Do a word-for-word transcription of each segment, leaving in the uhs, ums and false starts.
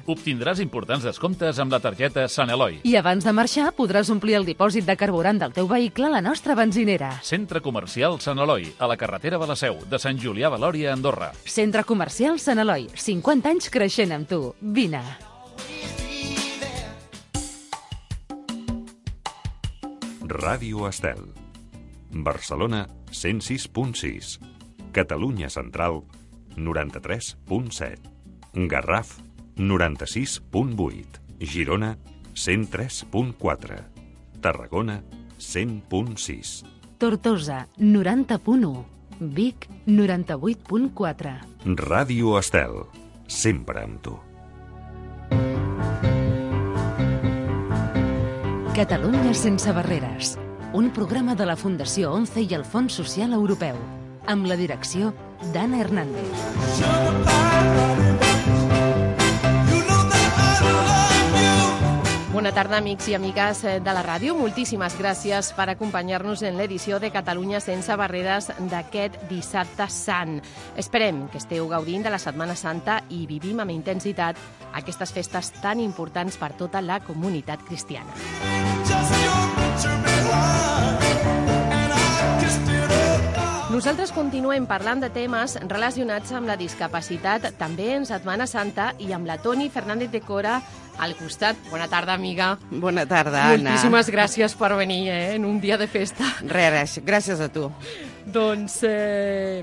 Obtindràs importants descomptes amb la targeta Sant Eloi. I abans de marxar podràs omplir el dipòsit de carburant del teu vehicle a la nostra benzinera. Centre Comercial Sant Eloi, a la carretera de la Seu, de Sant Julià de Lòria, Andorra. Centre Comercial Sant Eloi, cinquanta anys creixent amb tu. Vine. Ràdio Estel. Barcelona, cent sis punt sis. Catalunya Central, noranta-tres punt set. Garraf, noranta-sis punt vuit. Girona, cent tres punt quatre. Tarragona, cent punt sis. Tortosa, noranta punt u. Vic, noranta-vuit punt quatre. Ràdio Estel, sempre amb tu. Catalunya sense barreres. Un programa de la Fundació ONCE i el Fons Social Europeu. Amb la direcció d'Anna Hernández. Bona tarda, amics i amigues de la ràdio. Moltíssimes gràcies per acompanyar-nos en l'edició de Catalunya sense barreres d'aquest dissabte sant. Esperem que esteu gaudint de la Setmana Santa i vivim amb intensitat aquestes festes tan importants per tota la comunitat cristiana. Nosaltres continuem parlant de temes relacionats amb la discapacitat, també en Setmana Santa, i amb la Toni Fernández de Cora al costat. Bona tarda, amiga. Bona tarda, Anna. Moltíssimes gràcies per venir eh, en un dia de festa. Res, res, gràcies a tu. Doncs... Eh...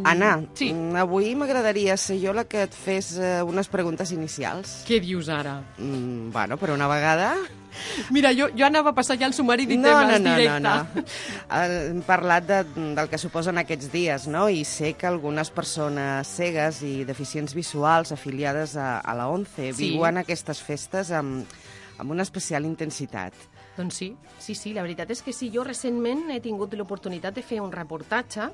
Anna, sí. Avui m'agradaria ser jo la que et fes eh, unes preguntes inicials. Què dius ara? Mm, bueno, per una vegada... Mira, jo, jo anava a passar ja el sumari de no, temes no, no, directe. No, no, no. Hem parlat de, del que suposen aquests dies, no? I sé que algunes persones cegues i deficients visuals afiliades a, a la ONCE sí. viuen aquestes festes amb, amb una especial intensitat. Doncs sí, sí, sí, la veritat és que sí. Jo recentment he tingut l'oportunitat de fer un reportatge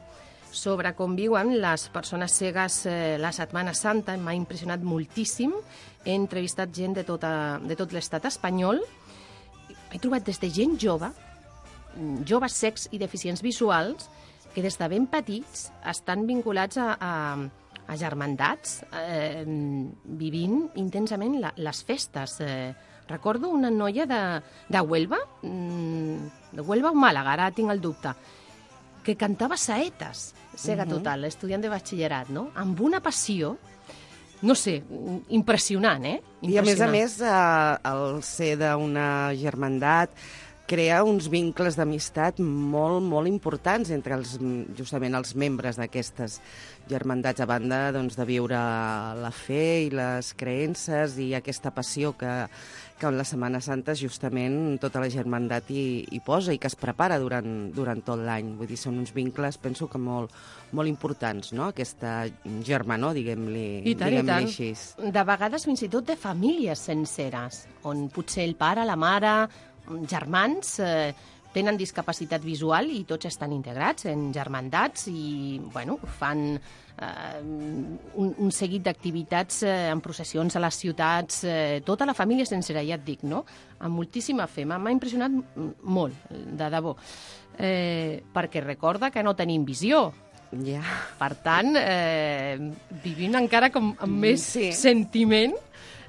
sobre com viuen les persones cegues eh, la Setmana Santa. M'ha impressionat moltíssim. He entrevistat gent de, tota, de tot l'estat espanyol. He trobat des de gent jove, joves cecs i deficients visuals, que des de ben petits estan vinculats a, a, a germandats, eh, vivint intensament la, les festes. Eh, recordo una noia de, de Huelva, de Huelva o Màlaga, ara tinc el dubte, que cantava saetes, cega uh-huh. total, estudiant de batxillerat, no? Amb una passió, no sé, impressionant, eh? Impressionant. I a més a més, eh, el ser d'una germandat crea uns vincles d'amistat molt, molt importants entre els, justament els membres d'aquestes germandats, a banda doncs, de viure la fe i les creences i aquesta passió que, que en la Setmana Santa justament tota la germandat hi, hi posa i que es prepara durant, durant tot l'any. Vull dir, són uns vincles, penso que molt, molt importants, no? Aquesta germanor, diguem-li, I tant, diguem-li i tant. així. De vegades fins i tot de famílies senceres, on potser el pare, la mare, germans eh, tenen discapacitat visual i tots estan integrats en germandats i bueno, fan eh, un, un seguit d'activitats eh, en processions a les ciutats, eh, tota la família sencera, ja et dic, no? Amb moltíssima fe. M'ha impressionat molt, de debò. Eh, perquè recorda que no tenim visió. Ja. Per tant, eh, vivim encara com amb més sí. sentiment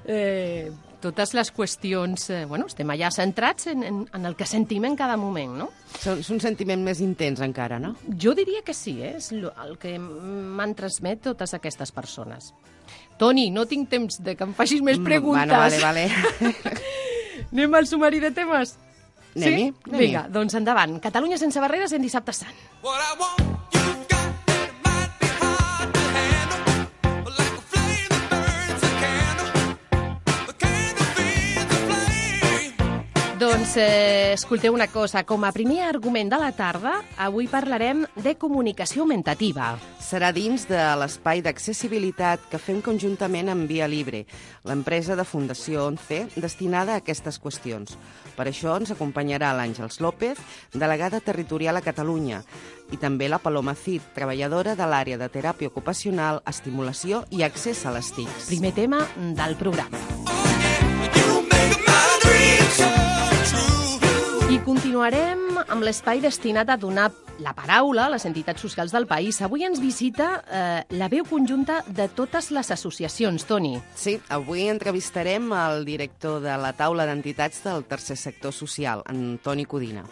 eh, totes les qüestions, eh, bueno, estem allà centrats en, en, en el que sentim en cada moment, no? És un sentiment més intens encara, no? Jo diria que sí, eh? És el que m'han transmet totes aquestes persones. Toni, no tinc temps de que em facis més preguntes. Bueno, vale, vale. Anem al sumari de temes? Anem-hi? Sí? Anem-hi. Vinga, doncs endavant. Catalunya sense barreres en Dissabte Sant. Doncs eh, escolteu una cosa, com a primer argument de la tarda, avui parlarem de comunicació augmentativa. Serà dins de l'espai d'accessibilitat que fem conjuntament amb Via Libre, l'empresa de Fundació ONCE destinada a aquestes qüestions. Per això ens acompanyarà l'Àngels López, delegada territorial a Catalunya, i també la Paloma Cid, treballadora de l'àrea de teràpia ocupacional, estimulació i accés a les T I Cs. Primer tema del programa. I continuem Continuarem amb l'espai destinat a donar la paraula a les entitats socials del país. Avui ens visita eh, la veu conjunta de totes les associacions, Toni. Sí, avui entrevistarem el director de la taula d'entitats del tercer sector social, en Toni Codina.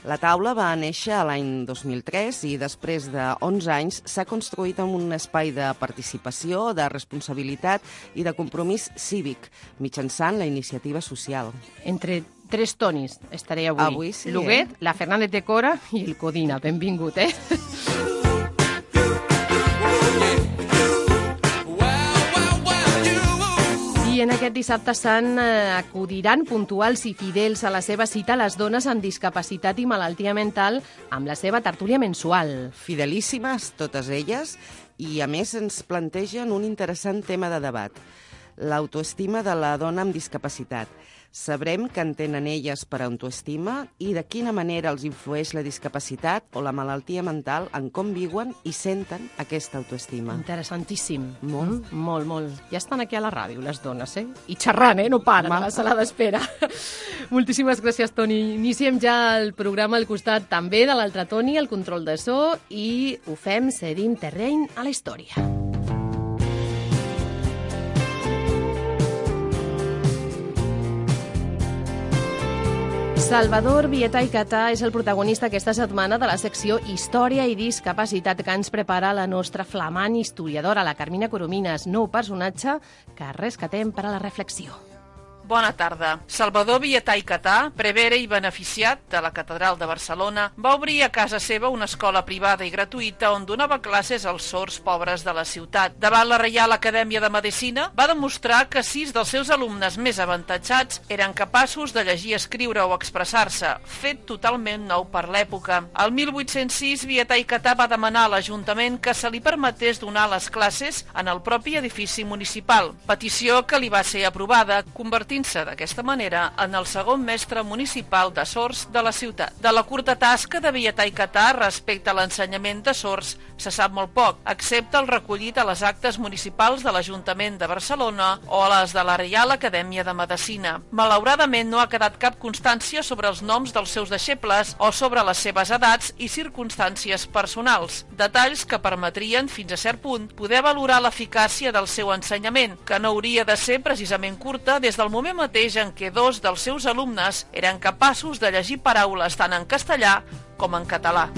La taula va néixer l'any dos mil tres i després d'onze anys s'ha construït en un espai de participació, de responsabilitat i de compromís cívic, mitjançant la iniciativa social. Entre tres Tonis estaré avui. Avui sí, L'Huguet, eh? la Fernández de Cora i el Codina. Benvingut, eh? I en aquest dissabte sant eh, acudiran puntuals i fidels a la seva cita les dones amb discapacitat i malaltia mental amb la seva tertúlia mensual. Fidelíssimes, totes elles, i a més ens plantegen un interessant tema de debat, l'autoestima de la dona amb discapacitat. Sabrem què entenen elles per autoestima i de quina manera els influeix la discapacitat o la malaltia mental en com viuen i senten aquesta autoestima. Interessantíssim. Molt. Mm, molt, molt. Ja estan aquí a la ràdio, les dones, eh? I xerrant, eh? No paren a la sala d'espera. Moltíssimes gràcies, Toni. Iniciem ja el programa al costat també de l'altre Toni, el control de so, i ho fem cedint terreny a la història. Salvador Vieta i Catà és el protagonista aquesta setmana de la secció Història i Discapacitat que ens prepara la nostra flamant historiadora, la Carmina Coromines, nou personatge que rescatem per a la reflexió. Bona tarda. Salvador Vietà i Catà, prevere i beneficiat de la Catedral de Barcelona, va obrir a casa seva una escola privada i gratuïta on donava classes als sords pobres de la ciutat. Davant la Reial Acadèmia de Medicina, va demostrar que sis dels seus alumnes més avantatjats eren capaços de llegir, escriure o expressar-se, fet totalment nou per l'època. El mil vuit-cents sis, Vietà i Catà va demanar a l'Ajuntament que se li permetés donar les classes en el propi edifici municipal, petició que li va ser aprovada, convertint se d'aquesta manera en el segon mestre municipal de sords de la ciutat. De la curta tasca de Vietà i Catà respecte a l'ensenyament de sords se sap molt poc, excepte el recollit a les actes municipals de l'Ajuntament de Barcelona o a les de la Reial Acadèmia de Medicina. Malauradament no ha quedat cap constància sobre els noms dels seus deixebles o sobre les seves edats i circumstàncies personals, detalls que permetrien, fins a cert punt, poder valorar l'eficàcia del seu ensenyament, que no hauria de ser precisament curta des del moment mateix en què dos dels seus alumnes eren capaços de llegir paraules tant en castellà com en català.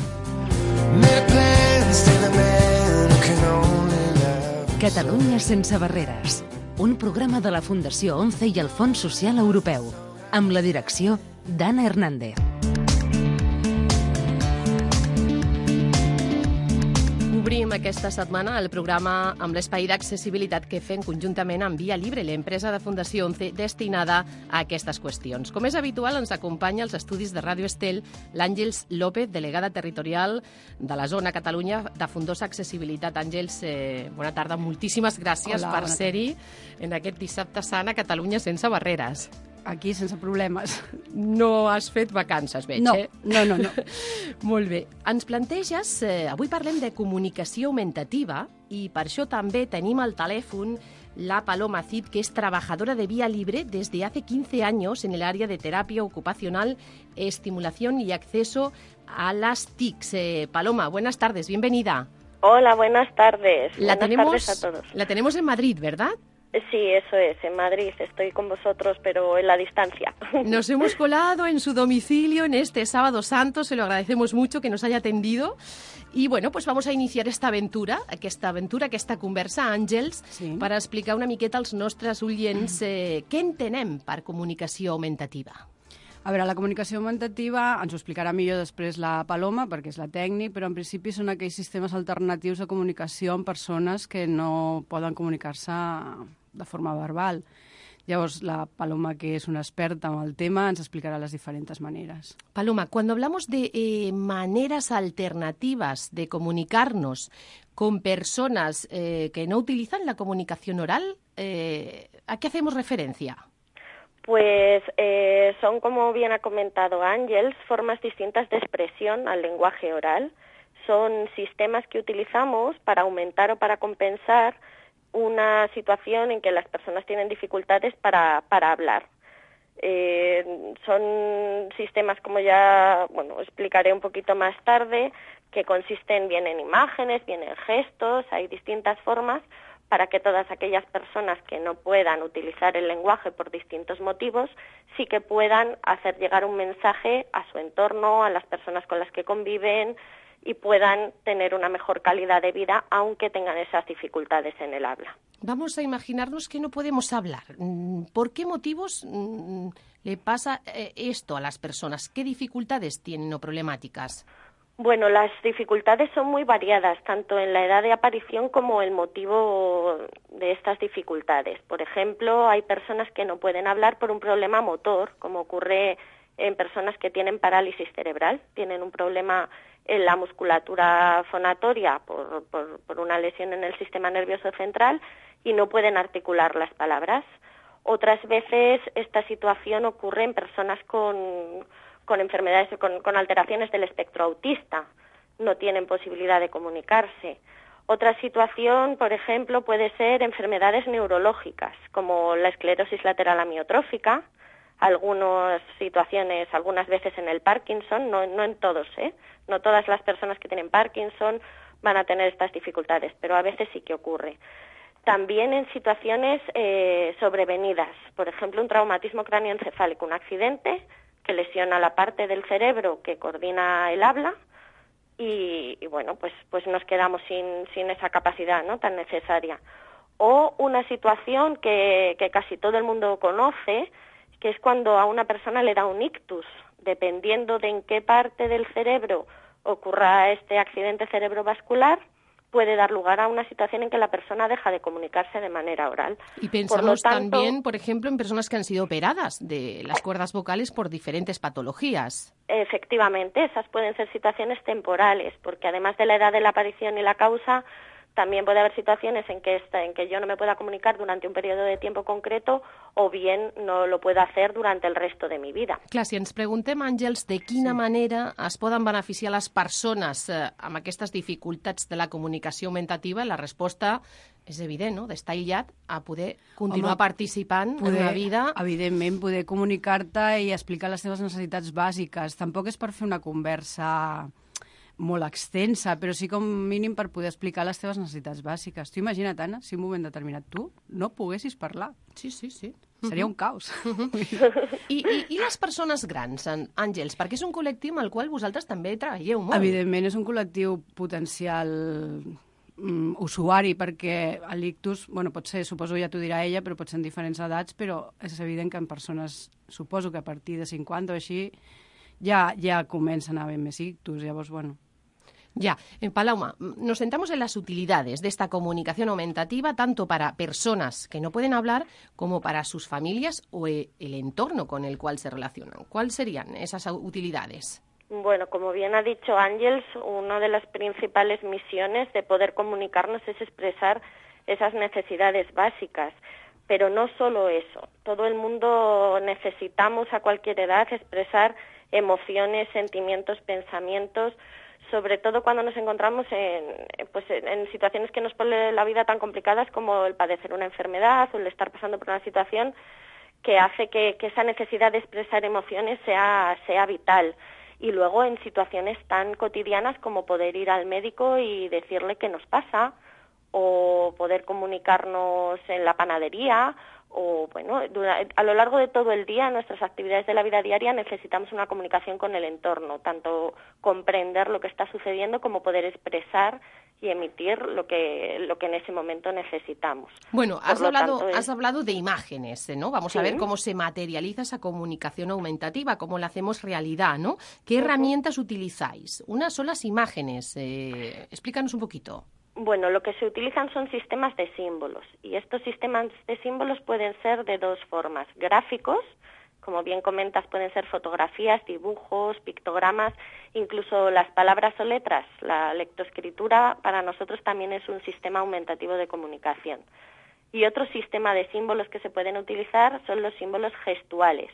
Catalunya sense barreres. Un programa de la Fundació ONCE i el Fons Social Europeu, amb la direcció d'Anna Hernández. Obrim aquesta setmana el programa amb l'espai d'accessibilitat que fem conjuntament amb Via Libre, l'empresa de Fundació ONCE destinada a aquestes qüestions. Com és habitual, ens acompanya als estudis de Ràdio Estel l'Àngels López, delegada territorial de la zona Catalunya de Fundosa Accessibilitat. Àngels, eh, bona tarda, moltíssimes gràcies Hola, per ser-hi en aquest dissabte sant a Catalunya sense barreres. Aquí sense problemes. No has fet vacances, veig, No, eh? no, no, no. Molt bé. Ens planteges, eh, avui parlem de comunicació augmentativa i per això també tenim al telèfon la Paloma Cid, que es trabajadora de Vía Libre desde hace quince años en el área de terapia ocupacional, estimulación y acceso a las T I Cs. Eh, Paloma, buenas tardes, bienvenida. Hola, buenas tardes. La buenas tenemos, tardes a todos. La tenemos en Madrid, ¿verdad? Sí, eso es, en Madrid. Estoy con vosotros, pero en la distancia. Nos hemos colado en su domicilio en este Sábado Santo, se lo agradecemos mucho que nos haya atendido. Y bueno, pues vamos a iniciar esta aventura, aquesta aventura, aquesta conversa, Àngels, Sí. per explicar una miqueta als nostres oients eh, què entenem per comunicació augmentativa. A veure, la comunicació augmentativa ens ho explicarà millor després la Paloma, perquè és la tècnic, però en principi són aquells sistemes alternatius de comunicació amb persones que no poden comunicar-se de forma verbal. Llavors, la Paloma, que és una experta en el tema, ens explicarà les diferents maneres. Paloma, cuando hablamos de eh, maneras alternativas de comunicarnos con personas eh, que no utilizan la comunicación oral, eh, ¿a qué hacemos referencia? Pues eh, son, como bien ha comentado Ángels, formas distintas de expresión al lenguaje oral. Son sistemas que utilizamos para aumentar o para compensar una situación en que las personas tienen dificultades para, para hablar. Eh, son sistemas, como ya bueno explicaré un poquito más tarde, que consisten bien en imágenes, bien en gestos, hay distintas formas para que todas aquellas personas que no puedan utilizar el lenguaje por distintos motivos, sí que puedan hacer llegar un mensaje a su entorno, a las personas con las que conviven, y puedan tener una mejor calidad de vida, aunque tengan esas dificultades en el habla. Vamos a imaginarnos que no podemos hablar. ¿Por qué motivos le pasa esto a las personas? ¿Qué dificultades tienen o problemáticas? Bueno, las dificultades son muy variadas, tanto en la edad de aparición como el motivo de estas dificultades. Por ejemplo, hay personas que no pueden hablar por un problema motor, como ocurre en personas que tienen parálisis cerebral, tienen un problema en la musculatura fonatoria por, por, por una lesión en el sistema nervioso central y no pueden articular las palabras. Otras veces esta situación ocurre en personas con... con enfermedades, con, con alteraciones del espectro autista, no tienen posibilidad de comunicarse. Otra situación, por ejemplo, puede ser enfermedades neurológicas, como la esclerosis lateral amiotrófica, algunas situaciones, algunas veces en el Parkinson, no, no en todos, ¿eh? No todas las personas que tienen Parkinson van a tener estas dificultades, pero a veces sí que ocurre. También en situaciones eh, sobrevenidas, por ejemplo, un traumatismo cráneoencefálico, un accidente que lesiona la parte del cerebro que coordina el habla y, y bueno, pues, pues nos quedamos sin, sin esa capacidad, ¿no?, tan necesaria. O una situación que, que casi todo el mundo conoce, que es cuando a una persona le da un ictus. Dependiendo de en qué parte del cerebro ocurra este accidente cerebrovascular, puede dar lugar a una situación en que la persona deja de comunicarse de manera oral. Y pensamos por lo tanto, también, por ejemplo, en personas que han sido operadas de las cuerdas vocales por diferentes patologías. Efectivamente, esas pueden ser situaciones temporales, porque además de la edad de la aparición y la causa, también puede haber situaciones en que, esta, en que yo no me pueda comunicar durante un periodo de tiempo concreto o bien no lo pueda hacer durante el resto de mi vida. Clar, si ens preguntem, Àngels, de quina sí. manera es poden beneficiar les persones eh, amb aquestes dificultats de la comunicació augmentativa, la resposta és evident, no?, d'estar aïllat a poder continuar Home, participant poder, en la vida. Evidentment, poder comunicar-te i explicar les teves necessitats bàsiques. Tampoc és per fer una conversa molt extensa, però sí com mínim per poder explicar les teves necessitats bàsiques. Tu imagina't, Anna, si en un moment determinat tu no poguessis parlar. Sí, sí, sí. Seria uh-huh. un caos. Uh-huh. I, i, I les persones grans, Àngels, perquè és un col·lectiu amb el qual vosaltres també treballeu molt. Evidentment, és un col·lectiu potencial mm, usuari, perquè l'ictus, bueno, pot ser, suposo ja t'ho dirà ella, però pot ser en diferents edats, però és evident que en persones, suposo que a partir de cinquanta o així, ja, ja comencen a haver més ictus, llavors, bueno... Ya, en Paloma, nos centramos en las utilidades de esta comunicación aumentativa, tanto para personas que no pueden hablar como para sus familias o el entorno con el cual se relacionan. ¿Cuáles serían esas utilidades? Bueno, como bien ha dicho Ángels, una de las principales misiones de poder comunicarnos es expresar esas necesidades básicas. Pero no solo eso, todo el mundo necesitamos a cualquier edad expresar emociones, sentimientos, pensamientos, sobre todo cuando nos encontramos en, pues en situaciones que nos ponen la vida tan complicadas como el padecer una enfermedad o el estar pasando por una situación que hace que, que esa necesidad de expresar emociones sea, sea vital. Y luego en situaciones tan cotidianas como poder ir al médico y decirle qué nos pasa, o poder comunicarnos en la panadería, o bueno, a lo largo de todo el día, en nuestras actividades de la vida diaria, necesitamos una comunicación con el entorno, tanto comprender lo que está sucediendo como poder expresar y emitir lo que lo que en ese momento necesitamos. Bueno, has hablado, tanto, es... has hablado de imágenes, ¿no? Vamos sí. a ver cómo se materializa esa comunicación aumentativa, cómo la hacemos realidad, ¿no? ¿Qué uh-huh. herramientas utilizáis? Unas son las imágenes. Eh, explícanos un poquito. Bueno, lo que se utilizan son sistemas de símbolos, y estos sistemas de símbolos pueden ser de dos formas: gráficos, como bien comentas, pueden ser fotografías, dibujos, pictogramas, incluso las palabras o letras. La lectoescritura para nosotros también es un sistema aumentativo de comunicación. Y otro sistema de símbolos que se pueden utilizar son los símbolos gestuales,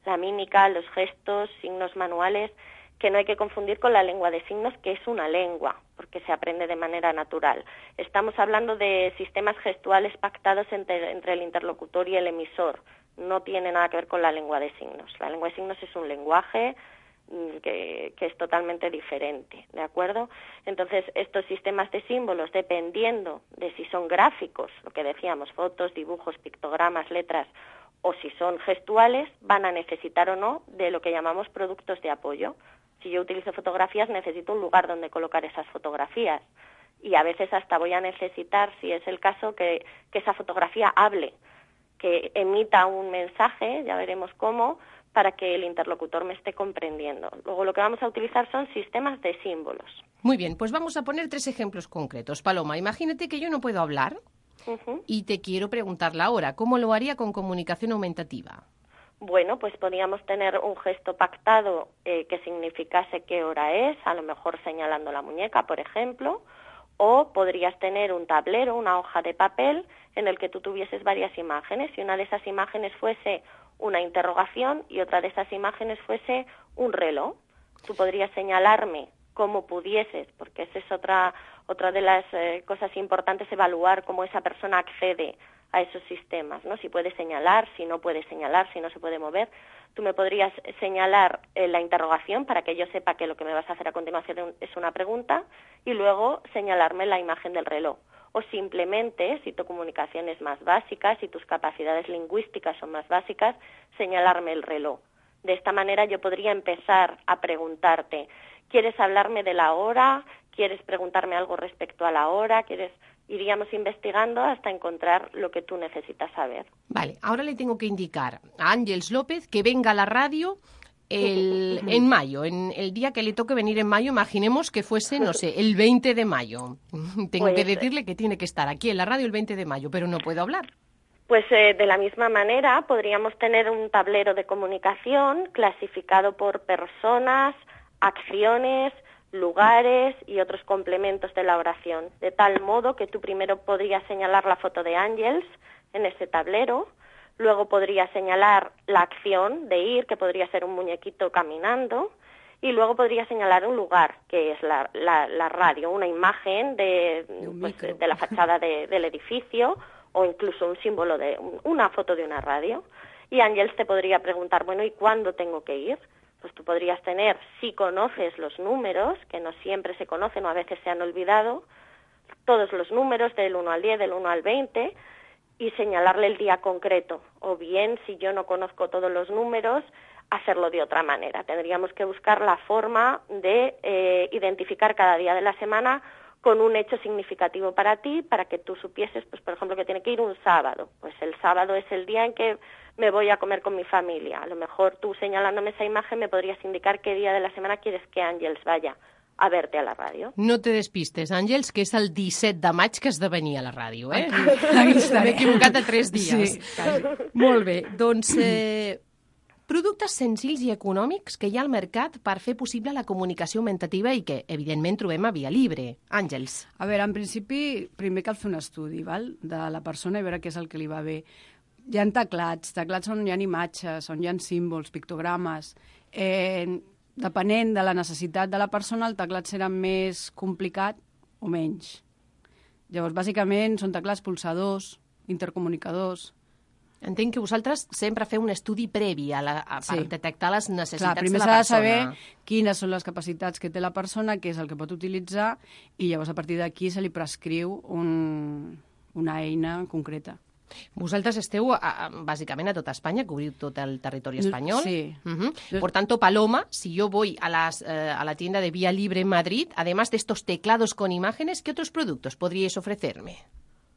la mímica, los gestos, signos manuales, que no hay que confundir con la lengua de signos, que es una lengua, porque se aprende de manera natural. Estamos hablando de sistemas gestuales pactados entre, entre el interlocutor y el emisor, no tiene nada que ver con la lengua de signos. La lengua de signos es un lenguaje que, que es totalmente diferente, ¿de acuerdo? Entonces, estos sistemas de símbolos, dependiendo de si son gráficos, lo que decíamos, fotos, dibujos, pictogramas, letras, o si son gestuales, van a necesitar o no de lo que llamamos productos de apoyo. Si yo utilizo fotografías, necesito un lugar donde colocar esas fotografías. Y a veces hasta voy a necesitar, si es el caso, que, que esa fotografía hable, que emita un mensaje, ya veremos cómo, para que el interlocutor me esté comprendiendo. Luego lo que vamos a utilizar son sistemas de símbolos. Muy bien, pues vamos a poner tres ejemplos concretos. Paloma, imagínate que yo no puedo hablar uh-huh. y te quiero preguntar la hora. ¿Cómo lo haría con comunicación aumentativa? Bueno, pues podríamos tener un gesto pactado eh, que significase qué hora es, a lo mejor señalando la muñeca, por ejemplo, o podrías tener un tablero, una hoja de papel, en el que tú tuvieses varias imágenes, y una de esas imágenes fuese una interrogación y otra de esas imágenes fuese un reloj. Tú podrías señalarme cómo pudieses, porque esa es otra, otra de las eh, cosas importantes, evaluar cómo esa persona accede a esos sistemas, ¿no? Si puede señalar, si no puede señalar, si no se puede mover. Tú me podrías señalar eh, la interrogación para que yo sepa que lo que me vas a hacer a continuación es una pregunta, y luego señalarme la imagen del reloj. O simplemente, si tu comunicación es más básica, si tus capacidades lingüísticas son más básicas, señalarme el reloj. De esta manera yo podría empezar a preguntarte, ¿quieres hablarme de la hora? ¿Quieres preguntarme algo respecto a la hora? ¿Quieres...? Iríamos investigando hasta encontrar lo que tú necesitas saber. Vale, ahora le tengo que indicar a Ángeles López que venga a la radio el, en mayo, en el día que le toque venir en mayo. Imaginemos que fuese, no sé, el veinte de mayo. Tengo pues, que decirle que tiene que estar aquí en la radio el veinte de mayo, pero no puedo hablar. Pues eh, de la misma manera podríamos tener un tablero de comunicación clasificado por personas, acciones, lugares y otros complementos de la oración, de tal modo que tú primero podrías señalar la foto de Ángeles en ese tablero, luego podrías señalar la acción de ir, que podría ser un muñequito caminando, y luego podrías señalar un lugar, que es la, la, la radio, una imagen de, pues, de, de la fachada de, del edificio, o incluso un símbolo de una foto de una radio. Y Ángeles te podría preguntar, bueno, ¿y cuándo tengo que ir? Pues tú podrías tener, si conoces los números, que no siempre se conocen o a veces se han olvidado, todos los números del uno al diez, del uno al veinte, y señalarle el día concreto. O bien, si yo no conozco todos los números, hacerlo de otra manera. Tendríamos que buscar la forma de eh, identificar cada día de la semana con un hecho significativo para ti, para que tú supieses, pues por ejemplo, que tiene que ir un sábado. Pues el sábado es el día en que me voy a comer con mi familia. A lo mejor tú señalándome esa imagen me podrías indicar qué día de la semana quieres que Ángeles vaya a verte a la ràdio. No te despistes, Àngels, que és el disset de maig que esdevenia a la ràdio, eh? M'he equivocat de tres dies. Sí. Molt bé, doncs... Eh, productes senzills i econòmics que hi ha al mercat per fer possible la comunicació augmentativa i que, evidentment, trobem a Via Libre. Àngels. A veure, en principi, primer cal fer un estudi, val?, de la persona i veure què és el que li va bé. Hi ha teclats, teclats on hi ha imatges, on hi ha símbols, pictogrames. Eh, depenent de la necessitat de la persona, el teclat serà més complicat o menys. Llavors, bàsicament, són teclats pulsadors, intercomunicadors. Entenc que vosaltres sempre feu un estudi previ a la, a, per sí. detectar les necessitats Clar, de la persona. Primer s'ha de saber quines són les capacitats que té la persona, què és el que pot utilitzar, i llavors a partir d'aquí se li prescriu un, una eina concreta. Vosaltres esteu, a, bàsicament, a tota Espanya, cobriu tot el territori espanyol. Sí. Uh-huh. Por tanto, Paloma, si yo voy a, las, eh, a la tienda de Vía Libre en Madrid, además de estos teclados con imágenes, ¿qué otros productos podríais ofrecerme?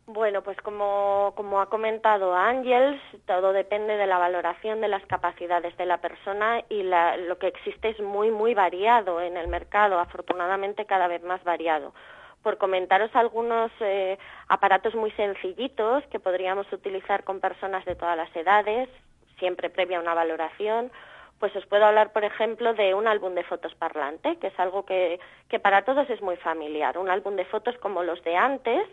Bueno, pues como, como ha comentado Àngels, todo depende de la valoración de las capacidades de la persona y la, lo que existe es muy, muy variado en el mercado, afortunadamente cada vez más variado. Por comentaros algunos eh, aparatos muy sencillitos que podríamos utilizar con personas de todas las edades, siempre previa una valoración, pues os puedo hablar, por ejemplo, de un álbum de fotos parlante, que es algo que, que para todos es muy familiar. Un álbum de fotos como los de antes,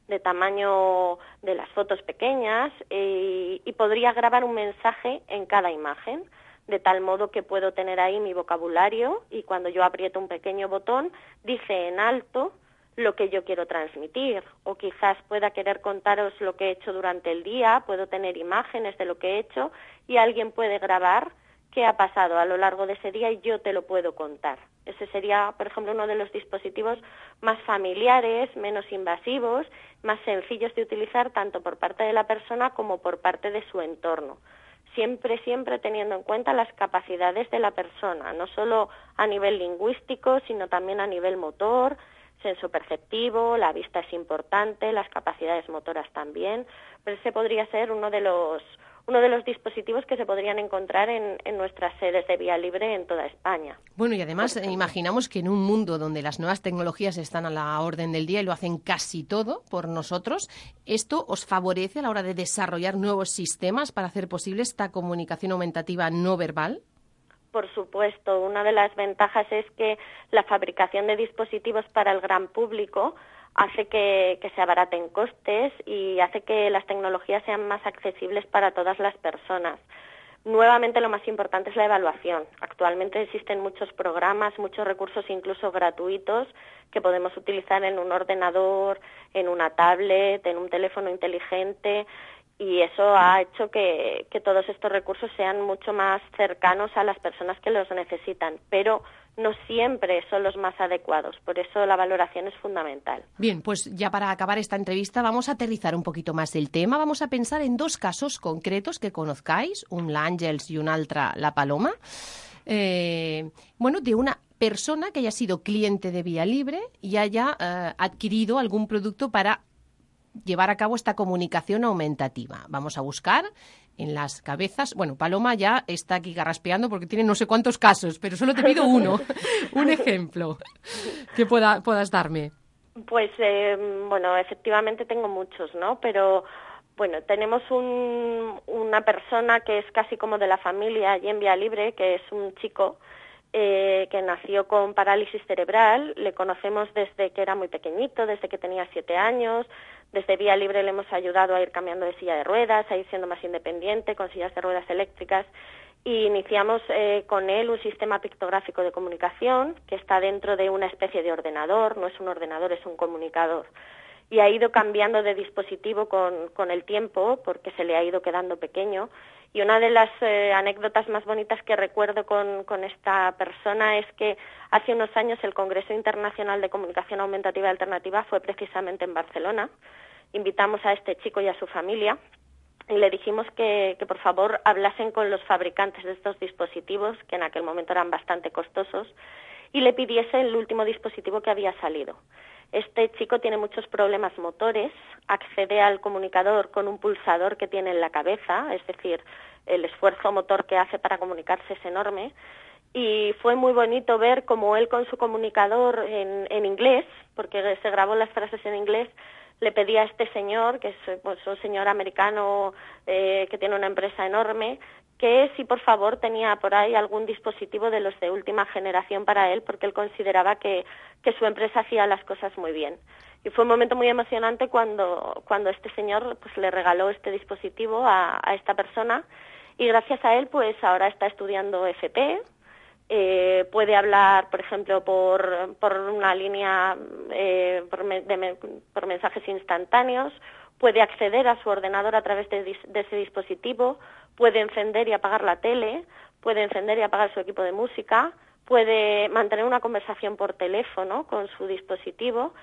de tamaño de las fotos pequeñas, y, y podría grabar un mensaje en cada imagen, de tal modo que puedo tener ahí mi vocabulario y cuando yo aprieto un pequeño botón, dice en alto lo que yo quiero transmitir, o quizás pueda querer contaros lo que he hecho durante el día, puedo tener imágenes de lo que he hecho y alguien puede grabar qué ha pasado a lo largo de ese día y yo te lo puedo contar. Ese sería, por ejemplo, uno de los dispositivos más familiares, menos invasivos, más sencillos de utilizar tanto por parte de la persona como por parte de su entorno. Siempre, siempre teniendo en cuenta las capacidades de la persona, no solo a nivel lingüístico, sino también a nivel motor, sensoperceptivo, la vista es importante, las capacidades motoras también, pero ese podría ser uno de los uno de los dispositivos que se podrían encontrar en, en nuestras sedes de Vía Libre en toda España. Bueno, y además eh, imaginamos que en un mundo donde las nuevas tecnologías están a la orden del día y lo hacen casi todo por nosotros, ¿esto os favorece a la hora de desarrollar nuevos sistemas para hacer posible esta comunicación aumentativa no verbal? Por supuesto, una de las ventajas es que la fabricación de dispositivos para el gran público hace que, que se abaraten costes y hace que las tecnologías sean más accesibles para todas las personas. Nuevamente, lo más importante es la evaluación. Actualmente existen muchos programas, muchos recursos incluso gratuitos que podemos utilizar en un ordenador, en una tablet, en un teléfono inteligente, y eso ha hecho que, que todos estos recursos sean mucho más cercanos a las personas que los necesitan, pero no siempre son los más adecuados, por eso la valoración es fundamental. Bien, pues ya para acabar esta entrevista vamos a aterrizar un poquito más el tema, vamos a pensar en dos casos concretos que conozcáis, un l'Àngels y un altre la Paloma, eh, bueno, de una persona que haya sido cliente de Vía Libre y haya eh, adquirido algún producto para llevar a cabo esta comunicación aumentativa. Vamos a buscar en las cabezas. Bueno, Paloma ya está aquí garraspeando porque tiene no sé cuántos casos, pero solo te pido uno, un ejemplo que pueda, puedas darme. Pues, eh, bueno, efectivamente tengo muchos, ¿no? Pero, bueno, tenemos un, una persona que es casi como de la familia allí en Vía Libre, que es un chico eh, que nació con parálisis cerebral. Le conocemos desde que era muy pequeñito, desde que tenía siete años. Desde Vía Libre le hemos ayudado a ir cambiando de silla de ruedas, a ir siendo más independiente, con sillas de ruedas eléctricas, y iniciamos eh, con él un sistema pictográfico de comunicación que está dentro de una especie de ordenador, no es un ordenador, es un comunicador. Y ha ido cambiando de dispositivo con, con el tiempo porque se le ha ido quedando pequeño. Y una de las eh, anécdotas más bonitas que recuerdo con, con esta persona es que hace unos años el Congreso Internacional de Comunicación Aumentativa y Alternativa fue precisamente en Barcelona. Invitamos a este chico y a su familia y le dijimos que, que por favor hablasen con los fabricantes de estos dispositivos, que en aquel momento eran bastante costosos, y le pidiese el último dispositivo que había salido. Este chico tiene muchos problemas motores, accede al comunicador con un pulsador que tiene en la cabeza, es decir, el esfuerzo motor que hace para comunicarse es enorme, y fue muy bonito ver cómo él con su comunicador en, en inglés, porque se grabó las frases en inglés, le pedía a este señor, que es pues, un señor americano eh, que tiene una empresa enorme, que si por favor tenía por ahí algún dispositivo de los de última generación para él, porque él consideraba que, que su empresa hacía las cosas muy bien. Y fue un momento muy emocionante cuando, cuando este señor pues le regaló este dispositivo a, a esta persona, y gracias a él pues ahora está estudiando F P, eh, puede hablar, por ejemplo, por, por una línea eh, por, me, de, por mensajes instantáneos, puede acceder a su ordenador a través de, de ese dispositivo, puede encender y apagar la tele, puede encender y apagar su equipo de música, puede mantener una conversación por teléfono con su dispositivo,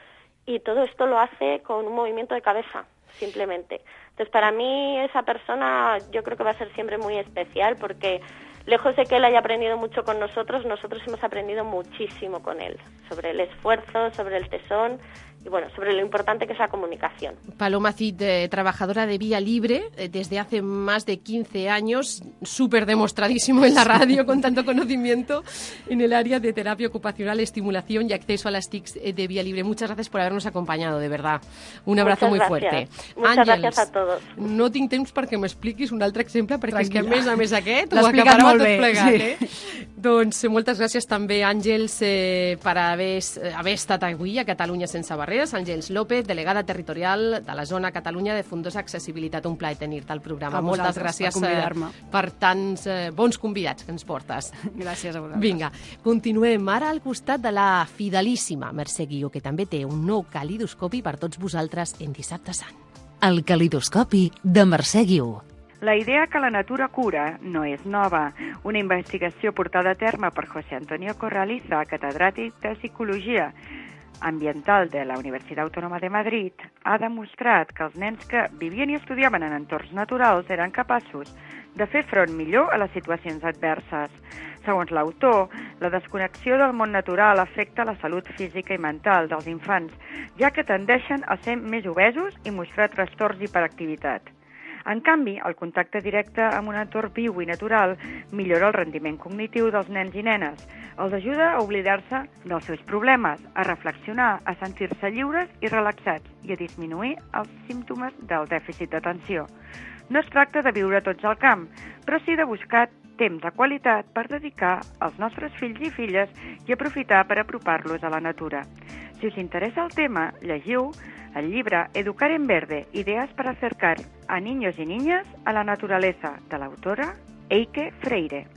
y todo esto lo hace con un movimiento de cabeza, simplemente. Entonces, para mí, esa persona yo creo que va a ser siempre muy especial porque, lejos de que él haya aprendido mucho con nosotros, nosotros hemos aprendido muchísimo con él, sobre el esfuerzo, sobre el tesón y, bueno, sobre lo importante que es la comunicación. Paloma Cid, eh, trabajadora de Vía Libre eh, desde hace más de quince años, súper demostradísimo en la radio, con tanto conocimiento en el área de terapia ocupacional, estimulación y acceso a las TICs de Vía Libre. Muchas gracias por habernos acompañado, de verdad. Un abrazo Muchas muy gracias. fuerte. Muchas Àngels, gracias a todos. todos. No tinc temps perquè m'expliquis un altre exemple, perquè és que a Tranquil·la. més a més aquest L'ha ho explicat acaparava molt tot bé, plegat. sí. Eh? Doncs moltes gràcies també, Àngels, eh, per haver, haver estat avui a Catalunya sense barreres. Àngels López, delegada territorial de la zona Catalunya de Fundos Accessibilitat. Un plaer tenir-te al programa. A Moltes vosaltres, gràcies per convidar-me. eh, per tants eh, bons convidats que ens portes. Gràcies a vosaltres. Vinga, continuem ara al costat de la fidelíssima Mercè Guió, que també té un nou calidoscopi per tots vosaltres en Dissabte Sant. El calidoscopi de Mercè Guió. La idea que la natura cura no és nova. Una investigació portada a terme per José Antonio Corraliza, catedràtic de Psicologia Ambiental de la Universitat Autònoma de Madrid, ha demostrat que els nens que vivien i estudiaven en entorns naturals eren capaços de fer front millor a les situacions adverses. Segons l'autor, la desconnexió del món natural afecta la salut física i mental dels infants, ja que tendeixen a ser més obesos i mostrar trastorns d'hiperactivitat. En canvi, el contacte directe amb un entorn viu i natural millora el rendiment cognitiu dels nens i nenes, els ajuda a oblidar-se dels seus problemes, a reflexionar, a sentir-se lliures i relaxats i a disminuir els símptomes del dèficit d'atenció. No es tracta de viure tots al camp, però sí de buscar temps de qualitat per dedicar als nostres fills i filles i aprofitar per apropar-los a la natura. Si us interessa el tema, llegiu el llibre Educar en Verde, ideas para acercar a niños y niñas a la naturaleza, de l'autora Eike Freire.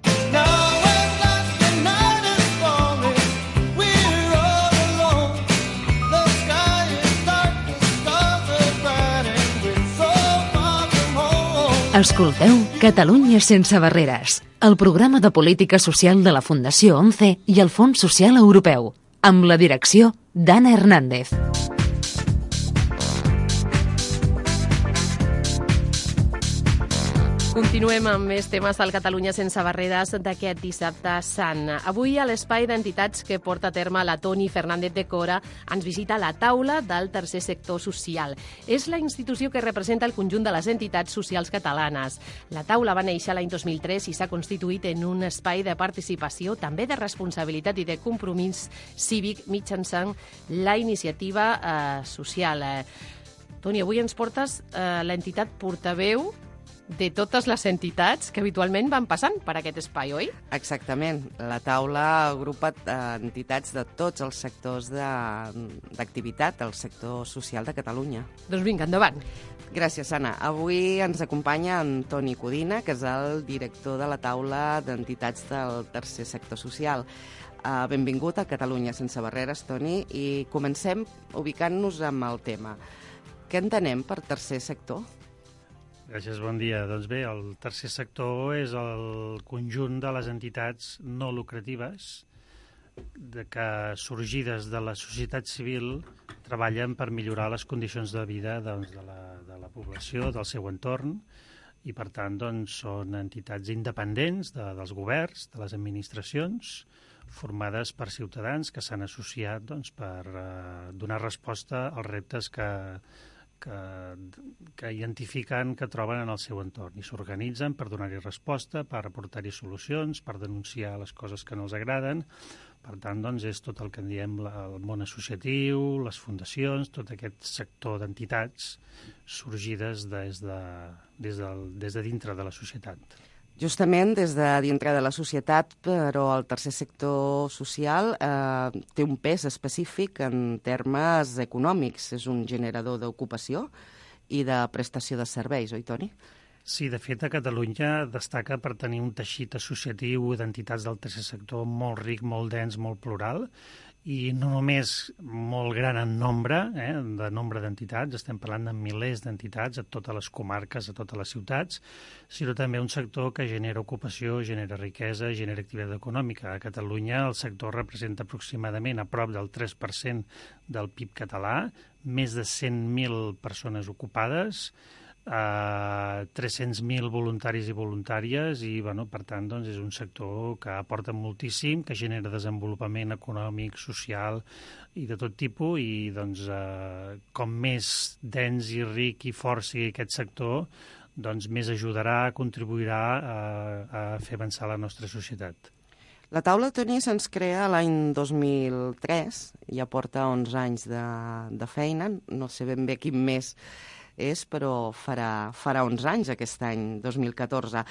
Escolteu Catalunya sense barreres, el programa de política social de la Fundació ONCE i el Fons Social Europeu, amb la direcció d'Anna Hernández. Continuem amb més temes al Catalunya sense barreres d'aquest dissabte sant. Avui a l'espai d'entitats que porta a terme la Toni Fernández de Cora ens visita la taula del tercer sector social. És la institució que representa el conjunt de les entitats socials catalanes. La taula va néixer l'any dos mil tres i s'ha constituït en un espai de participació, també de responsabilitat i de compromís cívic mitjançant la iniciativa eh, social. Eh, Toni, avui ens portes eh, l'entitat portaveu de totes les entitats que habitualment van passant per aquest espai, oi? Exactament. La taula agrupa eh, entitats de tots els sectors d'activitat del sector social de Catalunya. Doncs vinga, endavant. Gràcies, Anna. Avui ens acompanya en Toni Codina, que és el director de la taula d'entitats del tercer sector social. Uh, benvingut a Catalunya sense barreres, Toni, i comencem ubicant-nos amb el tema. Què entenem per tercer sector? Gràcies, bon dia. Doncs bé, el tercer sector és el conjunt de les entitats no lucratives de que, sorgides de la societat civil, treballen per millorar les condicions de vida doncs, de, la, de la població, del seu entorn, i per tant doncs, són entitats independents de, dels governs, de les administracions, formades per ciutadans que s'han associat doncs, per eh, donar resposta als reptes que Que, que identifiquen, que troben en el seu entorn i s'organitzen per donar-hi resposta, per aportar-hi solucions, per denunciar les coses que no els agraden. Per tant, doncs, és tot el que en diem el món associatiu, les fundacions, tot aquest sector d'entitats sorgides des de, des, del, des de dintre de la societat. Justament des de dintre de la societat, però el tercer sector social eh, té un pes específic en termes econòmics. És un generador d'ocupació i de prestació de serveis, oi, Toni? Sí, de fet, a Catalunya destaca per tenir un teixit associatiu d'entitats del tercer sector molt ric, molt dens, molt plural, i no només molt gran en nombre, eh, de nombre d'entitats, estem parlant de milers d'entitats a totes les comarques, a totes les ciutats, sinó també un sector que genera ocupació, genera riquesa, genera activitat econòmica. A Catalunya el sector representa aproximadament a prop del tres per cent del P I B català, més de cent mil persones ocupades, Uh, tres-cents mil voluntaris i voluntàries i, bueno, per tant, doncs, és un sector que aporta moltíssim, que genera desenvolupament econòmic, social i de tot tipus i, doncs, uh, com més dens i ric i fort sigui aquest sector, doncs més ajudarà, contribuirà a, a fer avançar la nostra societat. La taula, Toni, se'ns crea l'any dos mil tres, ja porta onze anys de, de feina, no sé ben bé quin mes és, però farà, farà onze anys aquest any, dos mil catorze.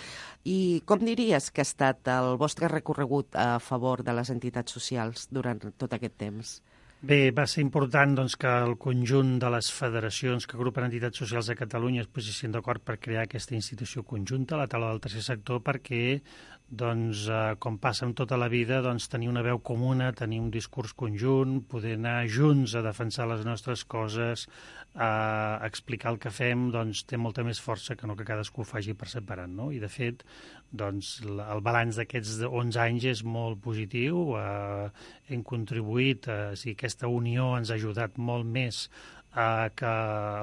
I com diries que ha estat el vostre recorregut a favor de les entitats socials durant tot aquest temps? Bé, va ser important doncs, que el conjunt de les federacions que agrupen entitats socials de Catalunya es posessin d'acord per crear aquesta institució conjunta, la taula del tercer sector, perquè, doncs, eh, com passa amb tota la vida, doncs, tenir una veu comuna, tenir un discurs conjunt, poder anar junts a defensar les nostres coses, a explicar el que fem, doncs, té molta més força que no que cadascú ho faci per separat, no? I, de fet, doncs, el balanç d'aquests onze anys és molt positiu, eh, hem contribuït, eh, si aquesta unió ens ha ajudat molt més a que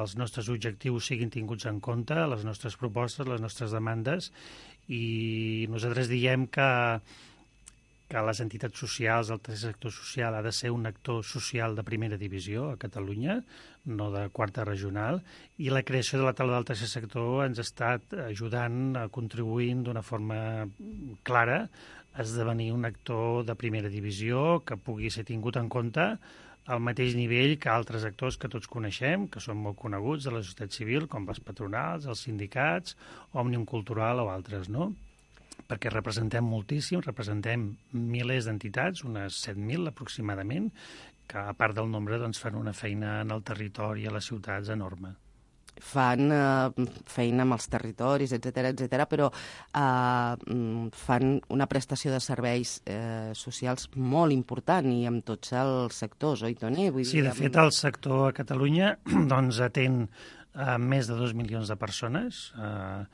els nostres objectius siguin tinguts en compte, les nostres propostes, les nostres demandes, i nosaltres diem que, que les entitats socials, el tercer sector social, ha de ser un actor social de primera divisió a Catalunya, no de quarta regional, i la creació de la taula del tercer sector ens ha estat ajudant, contribuint d'una forma clara a esdevenir un actor de primera divisió que pugui ser tingut en compte al mateix nivell que altres actors que tots coneixem, que són molt coneguts de la societat civil, com les patronals, els sindicats, Òmnium Cultural o altres, no? Perquè representem moltíssim, representem milers d'entitats, unes set mil aproximadament, que a part del nombre doncs, fan una feina en el territori, a les ciutats, enorme. Fan eh, feina amb els territoris, etcètera, etcètera, però eh, fan una prestació de serveis eh, socials molt important i amb tots els sectors, oi, Toni? Vull sí, dir, de fet, el sector a Catalunya doncs, atén eh, més de dos milions de persones, eh,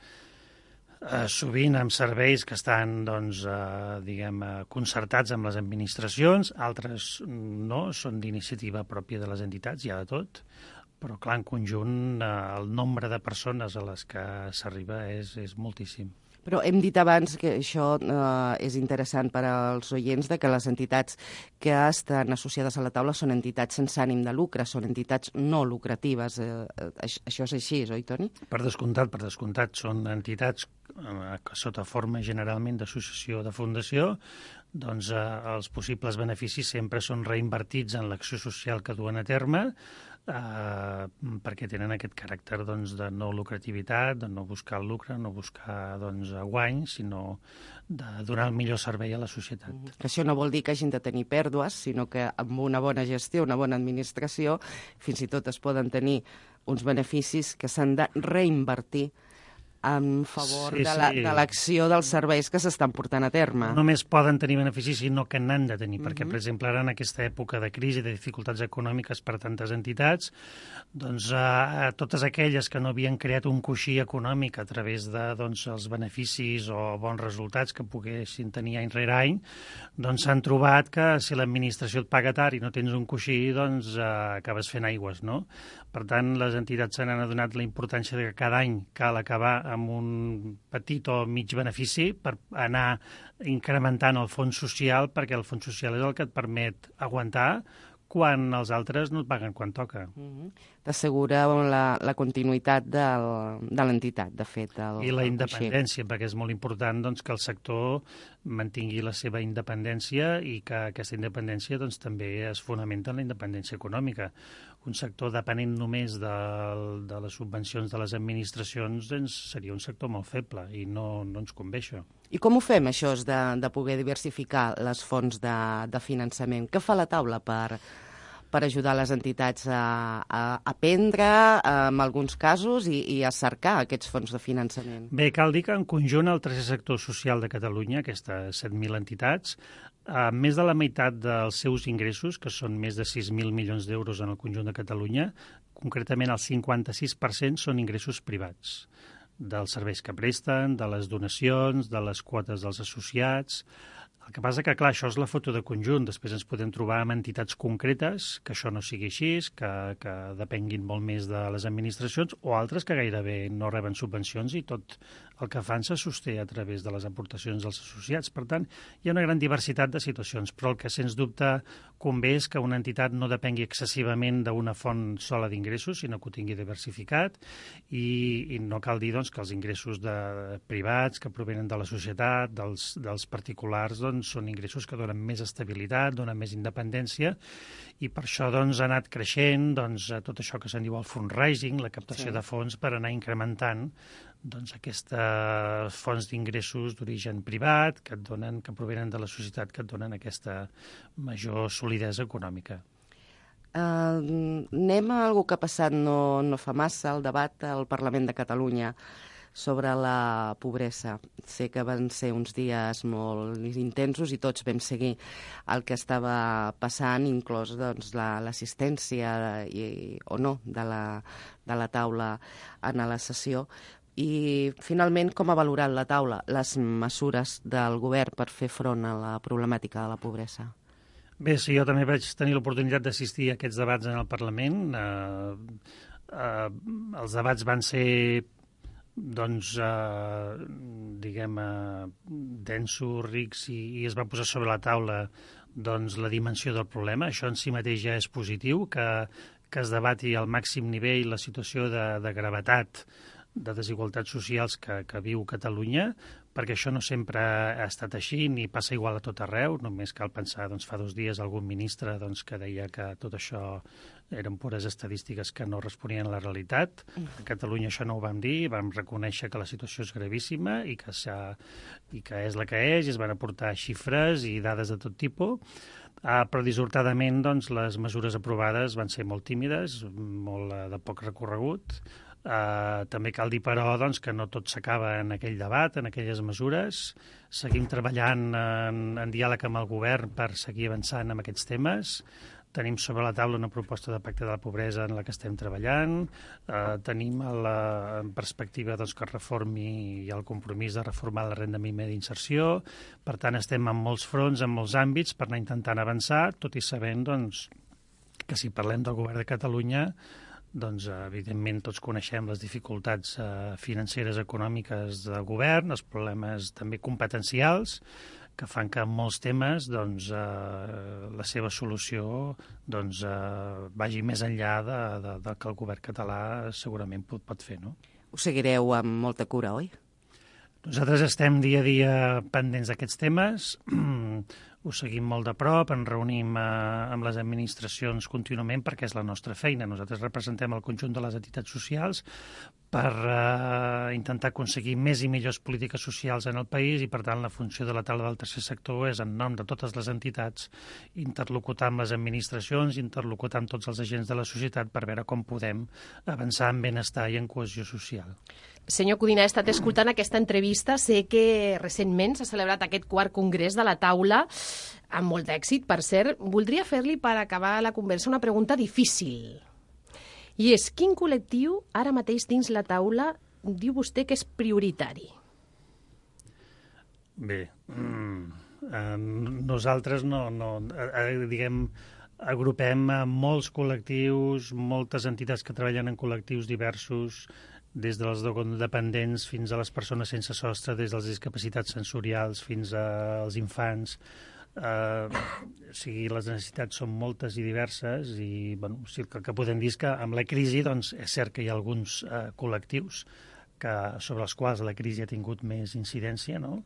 eh, sovint amb serveis que estan doncs, eh, diguem, eh, concertats amb les administracions, altres no, són d'iniciativa pròpia de les entitats, hi ha de tot, però, clar, en conjunt, eh, el nombre de persones a les que s'arriba és, és moltíssim. Però hem dit abans que això eh, és interessant per als oients, de que les entitats que estan associades a la taula són entitats sense ànim de lucre, són entitats no lucratives. Eh, això és així, oi, Toni? Per descomptat, per descomptat. Són entitats eh, que sota forma generalment d'associació de fundació, doncs eh, els possibles beneficis sempre són reinvertits en l'acció social que duen a terme, Uh, perquè tenen aquest caràcter doncs, de no lucrativitat, de no buscar el lucre, no buscar doncs, guany, sinó de donar el millor servei a la societat. Mm. Això no vol dir que hagin de tenir pèrdues, sinó que amb una bona gestió, una bona administració, fins i tot es poden tenir uns beneficis que s'han de reinvertir en favor sí, de, la, sí. de l'acció dels serveis que s'estan portant a terme. No només poden tenir beneficis, sinó que n'han de tenir, Uh-huh. perquè, per exemple, ara en aquesta època de crisi, de dificultats econòmiques per tantes entitats, doncs eh, totes aquelles que no havien creat un coixí econòmic a través de doncs, els beneficis o bons resultats que poguessin tenir any rere any, doncs s'han trobat que si l'administració et paga tard i no tens un coixí, doncs eh, acabes fent aigües, no? Per tant, les entitats se n'han adonat la importància de que cada any cal acabar amb un petit o mig benefici per anar incrementant el fons social, perquè el fons social és el que et permet aguantar quan els altres no et paguen quan toca. Uh-huh. T'assegura la, la continuïtat del, de l'entitat, de fet. El, I la el independència, perquè és molt important doncs, que el sector mantingui la seva independència i que aquesta independència doncs, també es fonamenta en la independència econòmica. Un sector depenent només de, de les subvencions de les administracions doncs, seria un sector molt feble i no, no ens convé això. I com ho fem, això de, de poder diversificar les fonts de, de finançament? Què fa la taula per, per ajudar les entitats a, a aprendre, en alguns casos, i, i a cercar aquests fons de finançament? Bé, cal dir que en conjunt el tercer sector social de Catalunya, aquestes set mil entitats, eh, més de la meitat dels seus ingressos, que són més de sis mil milions d'euros en el conjunt de Catalunya, concretament el cinquanta-sis per cent són ingressos privats, dels serveis que presten, de les donacions, de les quotes dels associats. El que passa que, clar, això és la foto de conjunt. Després ens podem trobar amb entitats concretes que això no sigui així, que, que depenguin molt més de les administracions, o altres que gairebé no reben subvencions i tot el que fan se sosté a través de les aportacions dels associats. Per tant, hi ha una gran diversitat de situacions, però el que sens dubte convé és que una entitat no depengui excessivament d'una font sola d'ingressos, sinó que ho tingui diversificat, i, i no cal dir doncs, que els ingressos de privats que provenen de la societat, dels, dels particulars, doncs, són ingressos que donen més estabilitat, donen més independència, i per això doncs, ha anat creixent doncs, tot això que se'n diu el fundraising, la captació sí. de fons per anar incrementant doncs, aquestes fonts d'ingressos d'origen privat que et donen, que provenen de la societat, que et donen aquesta major solidesa econòmica. Uh, anem a algo que ha passat no, no fa massa, el debat al Parlament de Catalunya sobre la pobresa. Sé que van ser uns dies molt intensos i tots vam seguir el que estava passant, inclòs doncs, l'assistència i, o no de la, de la taula en la sessió. I, finalment, com ha valorat la taula les mesures del govern per fer front a la problemàtica de la pobresa? Bé, sí, jo també vaig tenir l'oportunitat d'assistir a aquests debats en el Parlament. Eh, eh, els debats van ser, doncs, eh, diguem, eh, densos, rics, i, i es va posar sobre la taula doncs, la dimensió del problema. Això en si mateix ja és positiu, que, que es debati al màxim nivell la situació de, de gravetat de desigualtats socials que, que viu Catalunya, perquè això no sempre ha estat així ni passa igual a tot arreu. Només cal pensar, doncs, fa dos dies algun ministre doncs, que deia que tot això eren pures estadístiques que no responien a la realitat. A Catalunya això no ho vam dir, vam reconèixer que la situació és gravíssima i que, i que és la que és, i es van aportar xifres i dades de tot tipus. Uh, però dissortadament doncs, les mesures aprovades van ser molt tímides, molt uh, de poc recorregut. Uh, també cal dir, però, doncs, que no tot s'acaba en aquell debat, en aquelles mesures. Seguim treballant en, en diàleg amb el govern per seguir avançant en aquests temes. Tenim sobre la taula una proposta de pacte de la pobresa en la que estem treballant. Uh, tenim la, en perspectiva doncs, que es reformi i el compromís de reformar la renda mínima d'inserció. Per tant, estem en molts fronts, en molts àmbits, per anar intentant avançar, tot i sabent doncs, que si parlem del govern de Catalunya, doncs, evidentment, tots coneixem les dificultats eh, financeres econòmiques del govern, els problemes també competencials, que fan que en molts temes doncs, eh, la seva solució doncs, eh, vagi més enllà de, de, del que el govern català segurament pot, pot fer. No? Ho seguireu amb molta cura, oi? Nosaltres estem dia a dia pendents d'aquests temes, ho seguim molt de prop, ens reunim eh, amb les administracions contínuament perquè és la nostra feina. Nosaltres representem el conjunt de les entitats socials per eh, intentar aconseguir més i millors polítiques socials en el país i, per tant, la funció de la taula del tercer sector és, en nom de totes les entitats, interlocutar amb les administracions, interlocutar amb tots els agents de la societat per veure com podem avançar en benestar i en cohesió social. Senyor Codina, he estat escoltant aquesta entrevista. Sé que recentment s'ha celebrat aquest quart congrés de la taula, amb molt d'èxit, per cert. Voldria fer-li, per acabar la conversa, una pregunta difícil. I és, quin col·lectiu ara mateix dins la taula diu vostè que és prioritari? Bé, mm, eh, nosaltres no, no eh, diguem, agrupem molts col·lectius, moltes entitats que treballen en col·lectius diversos, des dels dependents fins a les persones sense sostre, des dels discapacitats sensorials fins als infants. Eh, o sigui, les necessitats són moltes i diverses i bueno, o sigui, el que podem dir és que amb la crisi doncs, és cert que hi ha alguns eh, col·lectius que, sobre els quals la crisi ha tingut més incidència, no?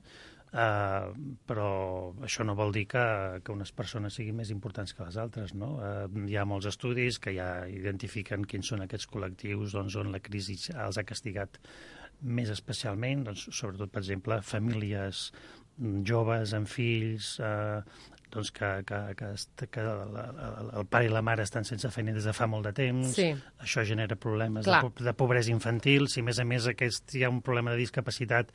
Uh, però això no vol dir que, que unes persones siguin més importants que les altres, no? Uh, hi ha molts estudis que ja identifiquen quins són aquests col·lectius doncs, on la crisi els ha castigat més especialment, doncs, sobretot, per exemple, famílies joves amb fills, eh, doncs que, que, que, que el pare i la mare estan sense feina des de fa molt de temps. Sí. Això genera problemes de, de pobresa infantil. Si a més a més aquest, hi ha un problema de discapacitat,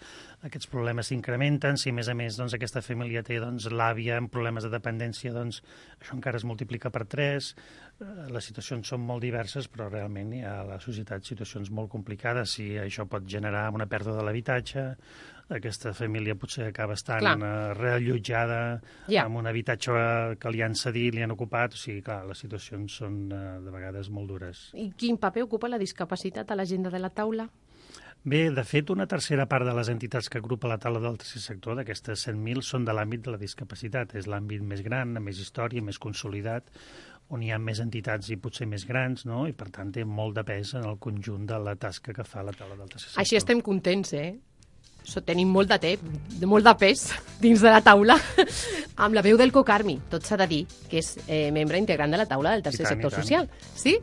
aquests problemes s'incrementen. Si a més a més doncs, aquesta família té doncs, l'àvia amb problemes de dependència, doncs això encara es multiplica per tres. Les situacions són molt diverses, però realment hi ha a la societat situacions molt complicades. Si això pot generar una pèrdua de l'habitatge, aquesta família potser acaba estant uh, reallotjada yeah. amb un habitatge que li han cedit, li han ocupat. O sigui, clar, les situacions són uh, de vegades molt dures. I quin paper ocupa la discapacitat a l'agenda de la taula? Bé, de fet, una tercera part de les entitats que agrupa la taula del tercer sector, d'aquestes cent mil, són de l'àmbit de la discapacitat. És l'àmbit més gran, amb més història, més consolidat, on hi ha més entitats i potser més grans, no? I per tant té molt de pes en el conjunt de la tasca que fa la taula del tercer sector. Així estem contents, eh? So, tenim molt de temps, molt de pes dins de la taula, amb la veu del Cocarmi, tot s'ha de dir, que és eh, membre integrant de la taula del tercer tant, sector i tant. social. Sí?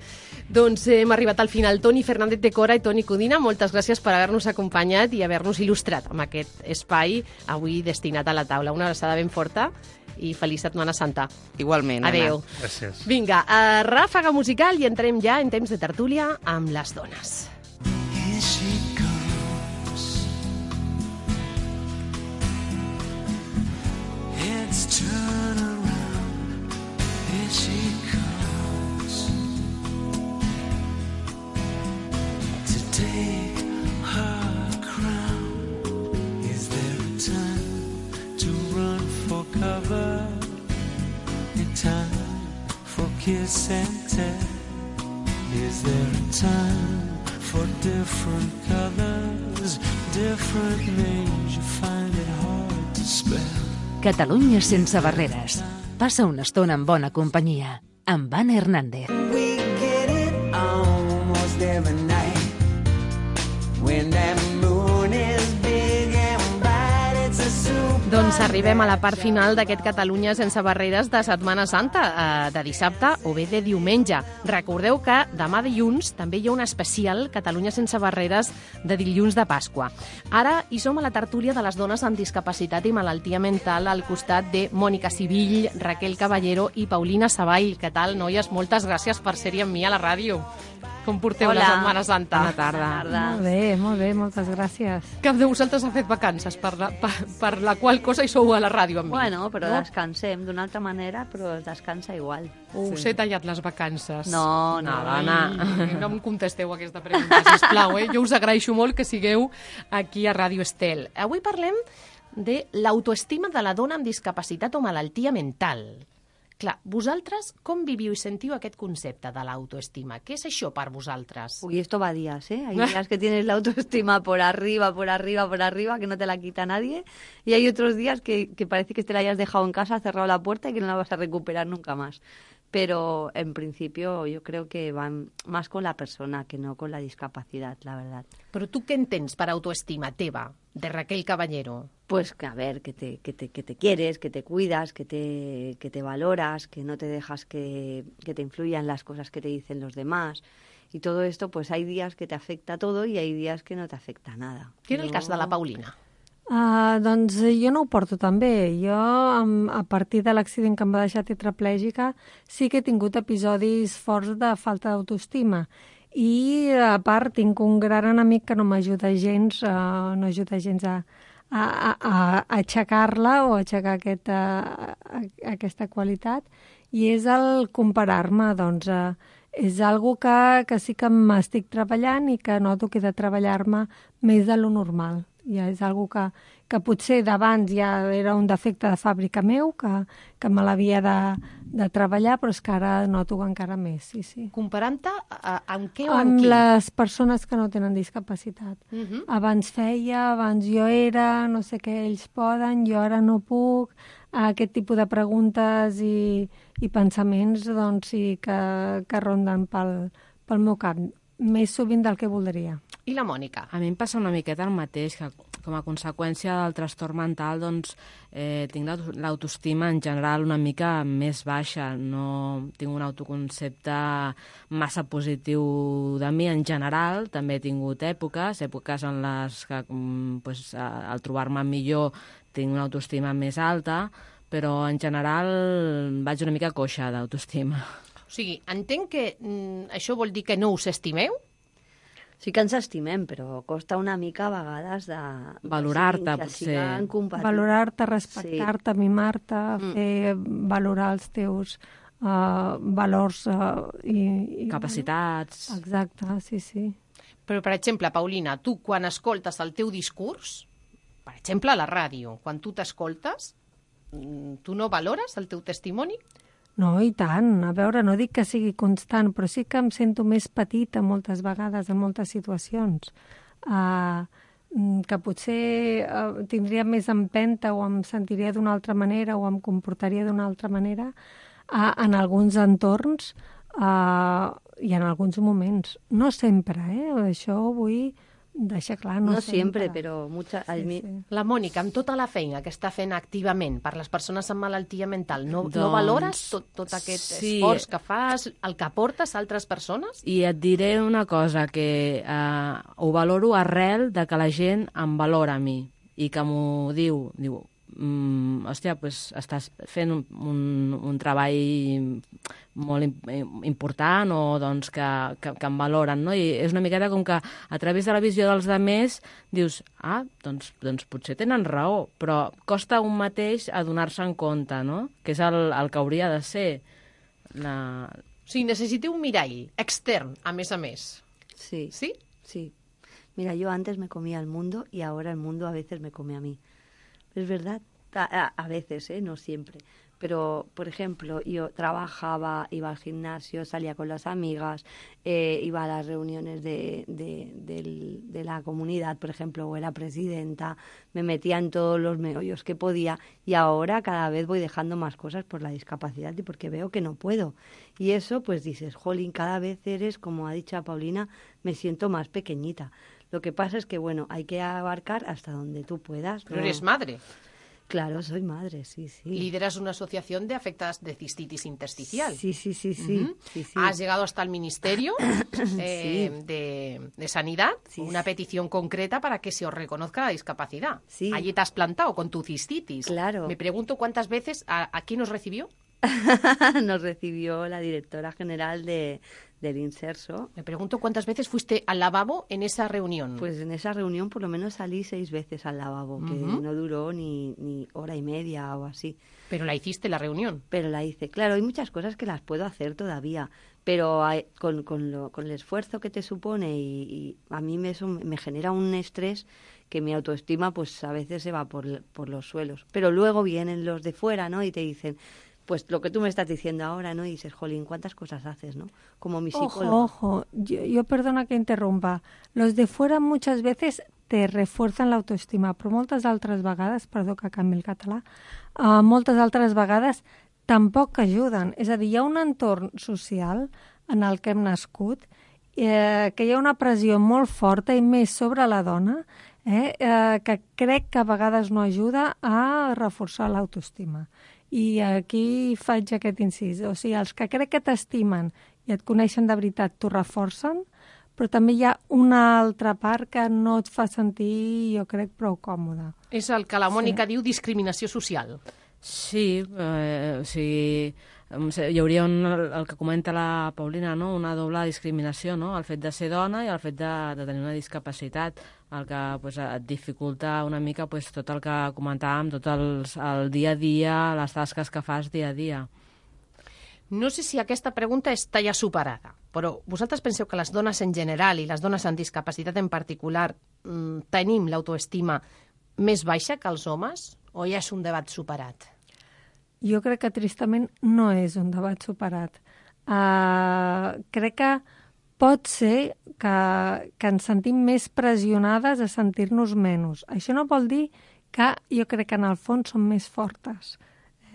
Doncs eh, hem arribat al final. Toni Fernández de Cora i Toni Codina, moltes gràcies per haver-nos acompanyat i haver-nos il·lustrat amb aquest espai avui destinat a la taula. Una abraçada ben forta i feliç Setmana Santa. Igualment, Anna. Adéu. Gràcies. Vinga, a ràfaga musical i entrem ja en temps de tertúlia amb les dones. Here she comes. Heads turn around. Here she comes to take her crown. Is there a time to run for cover? A time for kiss and tell? Is there a time for different colors, different names? You find it hard to spell. Catalunya sense barreres. Passa una estona en bona companyia. Amb Anna Hernández. We get it almost every night when that moon is big and bright. It's a super. Doncs arribem a la part final d'aquest Catalunya sense barreres de Setmana Santa, eh, de dissabte o bé de diumenge. Recordeu que demà dilluns també hi ha un especial Catalunya sense barreres de dilluns de Pasqua. Ara hi som a la tertúlia de les dones amb discapacitat i malaltia mental al costat de Mònica Sibill, Raquel Caballero i Paulina Savall. Què tal, noies? Moltes gràcies per ser-hi amb mi a la ràdio. Com porteu Hola. la Setmana Santa? Bona tarda. Bona tarda. Molt bé, molt bé, moltes gràcies. Cap de vosaltres ha fet vacances, per la, per, per la qual cosa hi sou a la ràdio amb mi. Bueno, però no? descansem d'una altra manera, però es descansa igual. Us Sí. he tallat les vacances. No, no. Ai, no em contesteu aquesta pregunta, sisplau. Eh? Jo us agraeixo molt que sigueu aquí a Ràdio Estel. Avui parlem de l'autoestima de la dona amb discapacitat o malaltia mental. Clar, vosaltres com viviu i sentiu aquest concepte de l'autoestima? Què és això per vosaltres? Uy, esto va a días, ¿eh? Hay días que tienes la autoestima por arriba, por arriba, por arriba, que no te la quita nadie. Y hay otros días que, que parece que te la hayas dejado en casa, cerrado la puerta y que no la vas a recuperar nunca más. Pero en principio yo creo que van más con la persona que no con la discapacidad, la verdad. Però tu què entens per autoestima teva, de Raquel Caballero? Pues que, a ver, que te, que te, que te quieres, que te cuidas, que te, que te valoras, que no te dejas que, que te influyan las cosas que te dicen los demás. Y todo esto, pues hay días que te afecta todo y hay días que no te afecta nada. Què era el cas de la Paulina? Uh, doncs jo no ho porto tan bé. Jo, um, a partir de l'accident que em va deixar tetraplègica, sí que he tingut episodis forts de falta d'autoestima. I, a part, tinc un gran enemic que no m'ajuda gens, uh, no ajuda gens a, a, a, a aixecar-la o a aixecar aquest, uh, a, aquesta qualitat, i és el comparar-me. Doncs uh, és algo que, que sí que m'estic treballant i que noto que he de treballar-me més de lo normal. Ja és algo que, que potser d'abans ja era un defecte de fàbrica meu, que, que me l'havia de, de treballar, però és que ara noto encara més, sí, sí. Comparant-te amb què o amb, amb qui? les persones que no tenen discapacitat. Uh -huh. Abans feia, abans jo era, no sé què ells poden, jo ara no puc. Aquest tipus de preguntes i, i pensaments doncs, sí que, que ronden pel, pel meu cap, més sovint del que voldria. I la Mònica? A mi em passa una miqueta el mateix, que com a conseqüència del trastorn mental doncs, eh, tinc l'autoestima en general una mica més baixa. No tinc un autoconcepte massa positiu de mi en general. També he tingut èpoques, èpoques en les que pues, al trobar-me millor tinc una autoestima més alta, però en general vaig una mica coixa d'autoestima. O sigui, entenc que mm, això vol dir que no us estimeu? Sí que ens estimem, però costa una mica a vegades de... Valorar-te, que potser. Valorar-te, respectar-te, sí. mimar-te, mm. fer valorar els teus uh, valors uh, i, i... capacitats. Exacte, sí, sí. Però, per exemple, Paulina, tu quan escoltes el teu discurs, per exemple, a la ràdio, quan tu t'escoltes, tu no valores el teu testimoni? No, i tant. A veure, no dic que sigui constant, però sí que em sento més petita moltes vegades en moltes situacions. uh, que potser uh, tindria més empenta o em sentiria d'una altra manera o em comportaria d'una altra manera uh, en alguns entorns uh, i en alguns moments. No sempre, eh? Això vull deixar clar. No, No sempre, siempre, pero mucha... a Sí, mí- sí. La Mònica, amb tota la feina que està fent activament per les persones amb malaltia mental, no, no Doncs, valores tot, tot aquest sí. esforç que fas, el que aportes a altres persones? I et diré una cosa, que eh, ho valoro arrel de que la gent em valora a mi i que m'ho diu, diu, mm, hòstia, pues, estàs fent un, un, un treball molt im- important o doncs, que, que, que em valoren, no? I és una miqueta com que a través de la visió dels demés dius, ah, doncs, doncs potser tenen raó, però costa un mateix adonar-se en compte, no? Que és el, el que hauria de ser. La... O sigui, necessiteu un mirall extern, a més a més. Sí. ¿Sí? Sí. Mira, yo antes me comía el mundo y ahora el mundo a veces me come a mí. Es verdad, a, a- a veces, ¿eh? No siempre. Pero, por ejemplo, yo trabajaba, iba al gimnasio, salía con las amigas, eh, iba a las reuniones de, de, del- de la comunidad, por ejemplo, o era presidenta, me metía en todos los meollos que podía y ahora cada vez voy dejando más cosas por la discapacidad y porque veo que no puedo. Y eso, pues dices, jolín, cada vez eres, como ha dicho Paulina, me siento más pequeñita. Lo que pasa es que, bueno, hay que abarcar hasta donde tú puedas. Pero ¿no? eres madre. Claro, soy madre, sí, sí. Lideras una asociación de afectadas de cistitis intersticial. Sí, sí, sí, sí, Ujú. sí, sí. Has llegado hasta el Ministerio eh, Sí. de, de Sanidad, con una petición concreta para que se os reconozca la discapacidad. Sí. Allí te has plantado con tu cistitis. Claro. Me pregunto cuántas veces, ¿a, a quién os recibió? Nos recibió la directora general de, del Inserso. Me pregunto cuántas veces fuiste al lavabo en esa reunión. Pues en esa reunión por lo menos salí seis veces al lavabo, que Ujú. no duró ni, ni hora y media o así. Pero la hiciste la reunión. Pero la hice. Claro, hay muchas cosas que las puedo hacer todavía, pero hay- con, con, lo- con el esfuerzo que te supone y, y a mí me, eso me genera un estrés que mi autoestima pues a veces se va por, por los suelos. Pero luego vienen los de fuera, ¿no? Y te dicen, pues lo que tú me estás diciendo ahora, ¿no? Y dices, jolín, ¿cuántas cosas haces, no? Como mi psicólogo. Ojo, ojo, yo, yo perdona que interrumpa. Los de fuera muchas veces te refuercen l'autoestima, però moltes altres vegades, perdó que canvi el català, uh, moltes altres vegades tampoc ajuden. És a dir, hi ha un entorn social en el que hem nascut eh, que hi ha una pressió molt forta i més sobre la dona eh, eh, que crec que a vegades no ajuda a reforçar l'autoestima. I aquí faig aquest incís. O sigui, els que crec que t'estimen i et coneixen de veritat t'ho reforcen, però també hi ha una altra part que no et fa sentir, jo crec, prou còmode. És el que la Mònica Sí. diu discriminació social. Sí, eh, o sigui, em sé, hi hauria un, el que comenta la Paulina, no? Una doble discriminació, no? El fet de ser dona i el fet de, de tenir una discapacitat, el que pues, et dificulta una mica pues, tot el que comentàvem, tot els, el dia a dia, les tasques que fas dia a dia. No sé si aquesta pregunta està ja superada, però vosaltres penseu que les dones en general i les dones amb discapacitat en particular mmm, tenim l'autoestima més baixa que els homes o ja és un debat superat? Jo crec que tristament no és un debat superat. Uh, crec que pot ser que, que ens sentim més pressionades a sentir-nos menys. Això no vol dir que jo crec que en el fons som més fortes.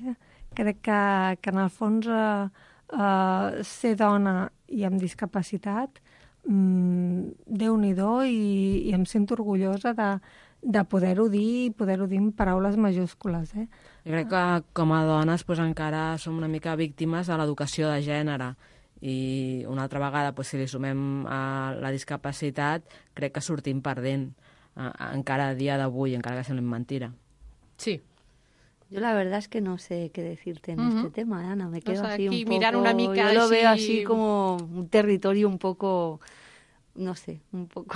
Eh? Crec que, que en el fons uh, uh, ser dona i amb discapacitat, um, Déu-n'hi-do, i, i em sento orgullosa de, de poder-ho dir i poder-ho dir en paraules majúscules. Eh? Jo crec que com a dones pues, encara som una mica víctimes de l'educació de gènere i una altra vegada, pues, si li sumem a la discapacitat, crec que sortim perdent eh, encara a dia d'avui, encara que sembli mentira. Sí. Yo la verdad es que no sé qué decirte en Ujú. este tema, Ana. Me quedo O sea, así aquí un poco... mirar una mica Yo lo así- veo así como un territorio un poco... No sé, un poco...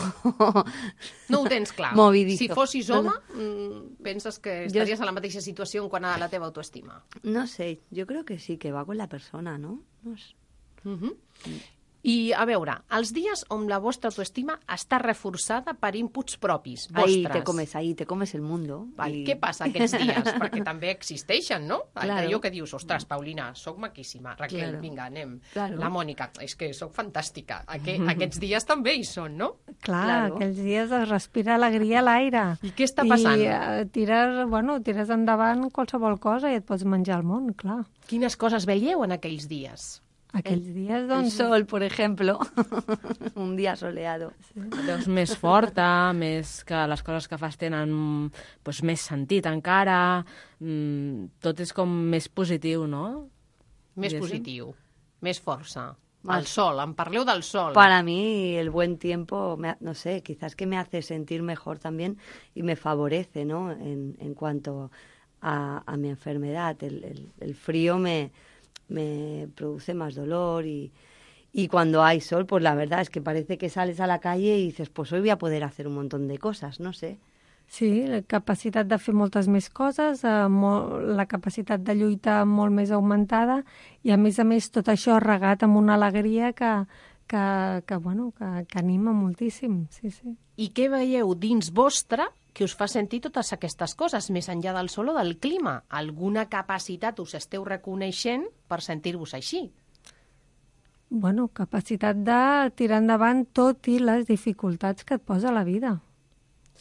No ho tens clar. Movidito. Si fossis No, home, no. mm, penses que Jo- estaries en la mateixa situació en quant a la teva autoestima. No sé, yo creo que sí, que va con la persona, ¿no? No sé. Uh -huh. I, a veure, els dies on la vostra autoestima està reforçada per inputs propis, Ahí vostres. te comes, ahí te comes el mundo. Val, I- Què passa aquests dies? Perquè també existeixen, no? Claro. Allò que dius, ostres, Paulina, sóc maquíssima. Raquel, Claro. vinga, anem. Claro. La Mònica, és que sóc fantàstica. Aqu aquests dies també hi són, no? Clar, Claro. aquells dies es respira alegria a l'aire. I què està passant? I eh, tires, bueno, tires endavant qualsevol cosa i et pots menjar el món, clar. Quines coses veieu en aquells dies? Aquells dies, El doncs... sol, por ejemplo. Un dia soleado. Et veus més forta, més que les coses que fas tenen doncs, més sentit encara, mm, tot és com més positiu, no? Més Diguéssim. positiu, més força. Más- El sol, em parleu del sol. Para mí el buen tiempo, me ha- no sé, quizás que me hace sentir mejor también y me favorece, ¿no? En, en cuanto a, a mi enfermedad. El, el, el frío me, me produce más dolor y, y cuando hay sol, pues la verdad es que parece que sales a la calle y dices, pues hoy voy a poder hacer un montón de cosas, no sé. Sí, la capacitat de fer moltes més coses, eh, molt, la capacitat de lluita molt més augmentada i, a més a més, tot això regat amb una alegria que, que, que, bueno, que, que anima moltíssim. Sí, sí. I què veieu dins vostre que us fa sentir totes aquestes coses, més enllà del sol o del clima? Alguna capacitat us esteu reconeixent per sentir-vos així? Bueno, capacitat de tirar endavant tot i les dificultats que et posa la vida.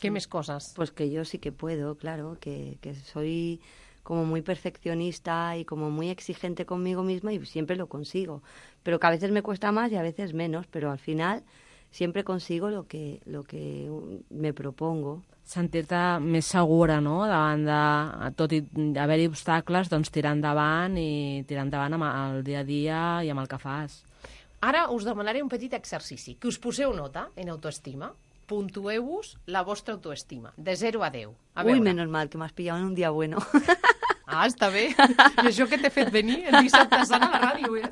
¿Qué más cosas? Pues que yo sí que puedo, claro, que, que soy como muy perfeccionista y como muy exigente conmigo misma y siempre lo consigo. Pero que a veces me cuesta más y a veces menos, pero al final siempre consigo lo que, lo que me propongo. Sentir-te més segura, no?, davant de, tot i haver-hi obstacles, doncs tirar endavant i tirar endavant amb el dia a dia i amb el que fas. Ara us demanaré un petit exercici, que us poseu nota en autoestima, puntueu-vos la vostra autoestima, de zero a deu. A Uy, veure. menos mal, que m'has pillado en un dia bueno. Ah, està bé. I això que t'he fet venir el dissabte sant a la ràdio, eh?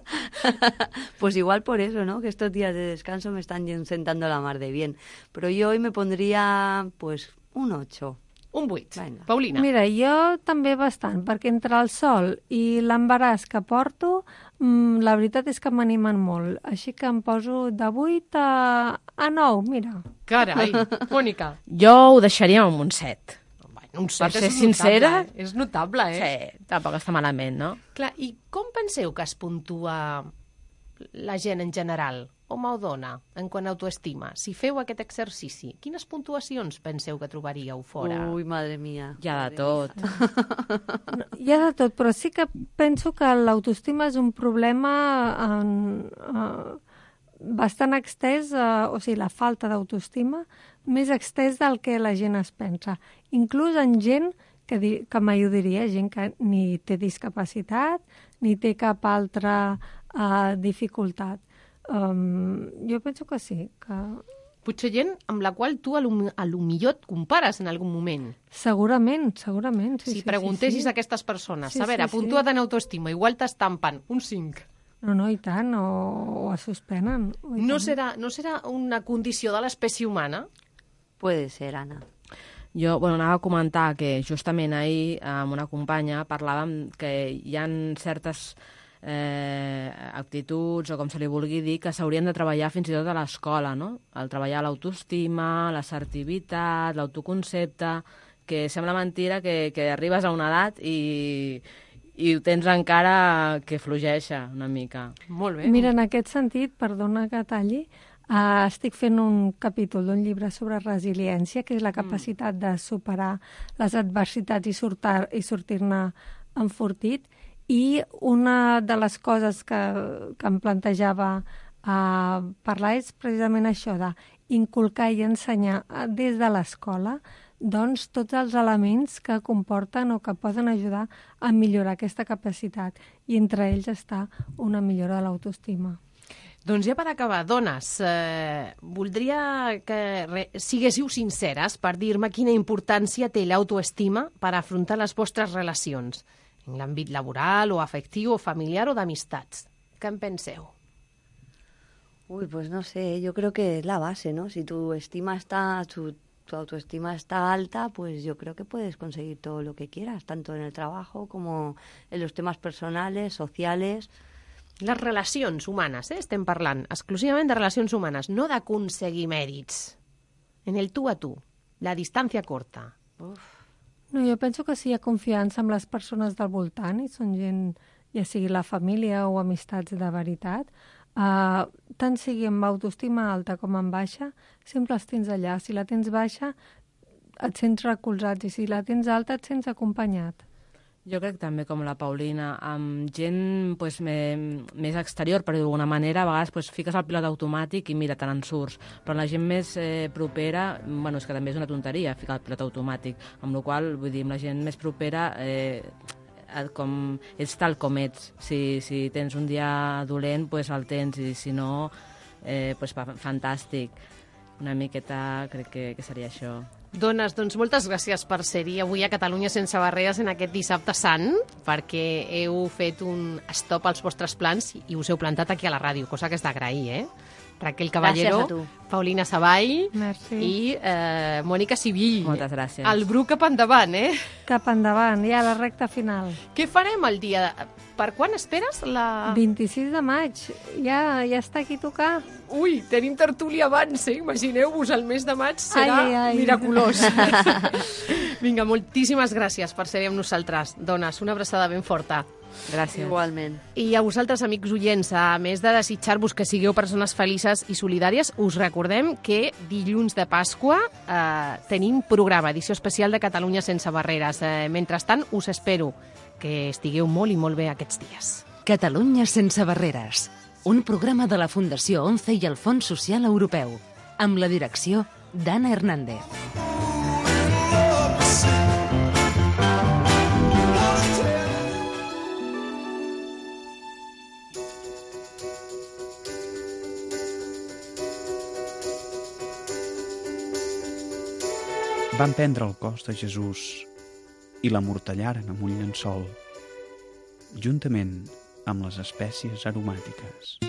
Pues igual por eso, ¿no? Que estos días de descanso me están sentando la mar de bien. Pero yo hoy me pondría, pues, un ocho. Un vuit. Venga. Paulina. Mira, jo també bastant, perquè entre el sol i l'embaràs que porto, mmm, la veritat és que m'animen molt. Així que em poso de vuit a, a nou, mira. Carai, Mònica. Jo ho deixaria amb un set. Un Per set ser és sincera, notable, eh? És notable, eh? Sí, tampoc està malament, no? Clar, i com penseu que es puntua la gent en general, home o dona, en quant a autoestima? Si feu aquest exercici, quines puntuacions penseu que trobaríeu fora? Uy, madre mía. Hi ha de tot. No, hi ha de tot, però sí que penso que l'autoestima és un problema en, uh, bastant extès, uh, o sigui, la falta d'autoestima, més extès del que la gent es pensa. Inclús en gent que, di que mai ho diria, gent que ni té discapacitat, ni té cap altra uh, dificultat. Um, jo penso que sí, que... Potser gent amb la qual tu a lo, a lo millor et compares en algun moment. Segurament, segurament. Sí, Si sí, preguntessis sí, sí. a aquestes persones, Sí, a veure, sí, sí. puntua't en autoestima, igual t'estampen un cinc. No, no, i tant, o, o es suspenen. O i No tant. serà, no serà una condició de l'espècie humana? Puede ser, Ana. Jo, bueno, anava a comentar que justament ahir amb una companya parlàvem que hi ha certes eh, actituds, o com se li vulgui dir, que s'haurien de treballar fins i tot a l'escola, no? El treballar l'autoestima, l'assertivitat, l'autoconcepte, que sembla mentira que, que arribes a una edat i, i ho tens encara que flogeixa una mica. Molt bé. Mira, en aquest sentit, perdona que talli, uh, estic fent un capítol d'un llibre sobre resiliència, que és la capacitat de superar les adversitats i, sortar, i sortir-ne enfortit. I una de les coses que, que em plantejava uh, parlar és precisament això, d'inculcar i ensenyar uh, des de l'escola doncs, tots els elements que comporten o que poden ajudar a millorar aquesta capacitat. I entre ells està una millora de l'autoestima. Doncs ja per acabar, dones, eh, voldria que re, siguéssiu sinceres per dir-me quina importància té l'autoestima per afrontar les vostres relacions, en l'àmbit laboral o afectiu o familiar o d'amistats. Què en penseu? Uy, pues no sé, yo creo que es la base, ¿no? Si tu estima está, tu, tu autoestima está alta, pues yo creo que puedes conseguir todo lo que quieras, tanto en el trabajo como en los temas personales, sociales. Les relacions humanes, eh? Estem parlant exclusivament de relacions humanes, no d'aconseguir mèrits. En el tu a tu, la distància corta. Uf. No, jo penso que si hi ha confiança amb les persones del voltant, i són gent, ja sigui la família o amistats de veritat, uh, tant sigui amb autoestima alta com amb baixa, sempre els tens allà. Si la tens baixa, et sents recolzat, i si la tens alta, et sents acompanyat. Jo crec també, com la Paulina, amb gent pues, me, més exterior, per dir d'alguna manera, a vegades pues, fiques el pilot automàtic i mira, te n'en surts. Però la gent més eh, propera, bueno, és que també és una tonteria ficar el pilot automàtic, amb la qual vull dir, amb la gent més propera, eh, com, ets tal com ets. Si, si tens un dia dolent, pues el tens, i si no, eh, pues, fantàstic. Una miqueta crec que, que seria això. Dones, doncs moltes gràcies per ser-hi avui a Catalunya sense barreres en aquest dissabte sant, perquè heu fet un stop als vostres plans i us heu plantat aquí a la ràdio, cosa que és d'agrair, eh? Raquel Caballero, Paulina Savall Merci. I eh, Mònica Sivill. Moltes gràcies. El Bru cap endavant, eh? Cap endavant, ja la recta final. Què farem el dia? Per quan esperes la... vint-i-sis de maig, ja, ja està aquí a tocar. Ui, tenim tertúlia abans, eh? Imagineu-vos, el mes de maig serà ai, ai, ai. miraculós. Vinga, moltíssimes gràcies per ser amb nosaltres. Dones, una abraçada ben forta. Gràcies. Igualment. I a vosaltres, amics oients, a més de desitjar-vos que sigueu persones felices i solidàries, us recordem que dilluns de Pasqua eh, tenim programa, edició especial de Catalunya sense barreres. Eh, mentrestant, us espero que estigueu molt i molt bé aquests dies. Catalunya sense barreres, un programa de la Fundació ONCE i el Fons Social Europeu, amb la direcció d'Anna Hernández. Van prendre el cos de Jesús i l'amortallaren amb un llençol, juntament amb les espècies aromàtiques.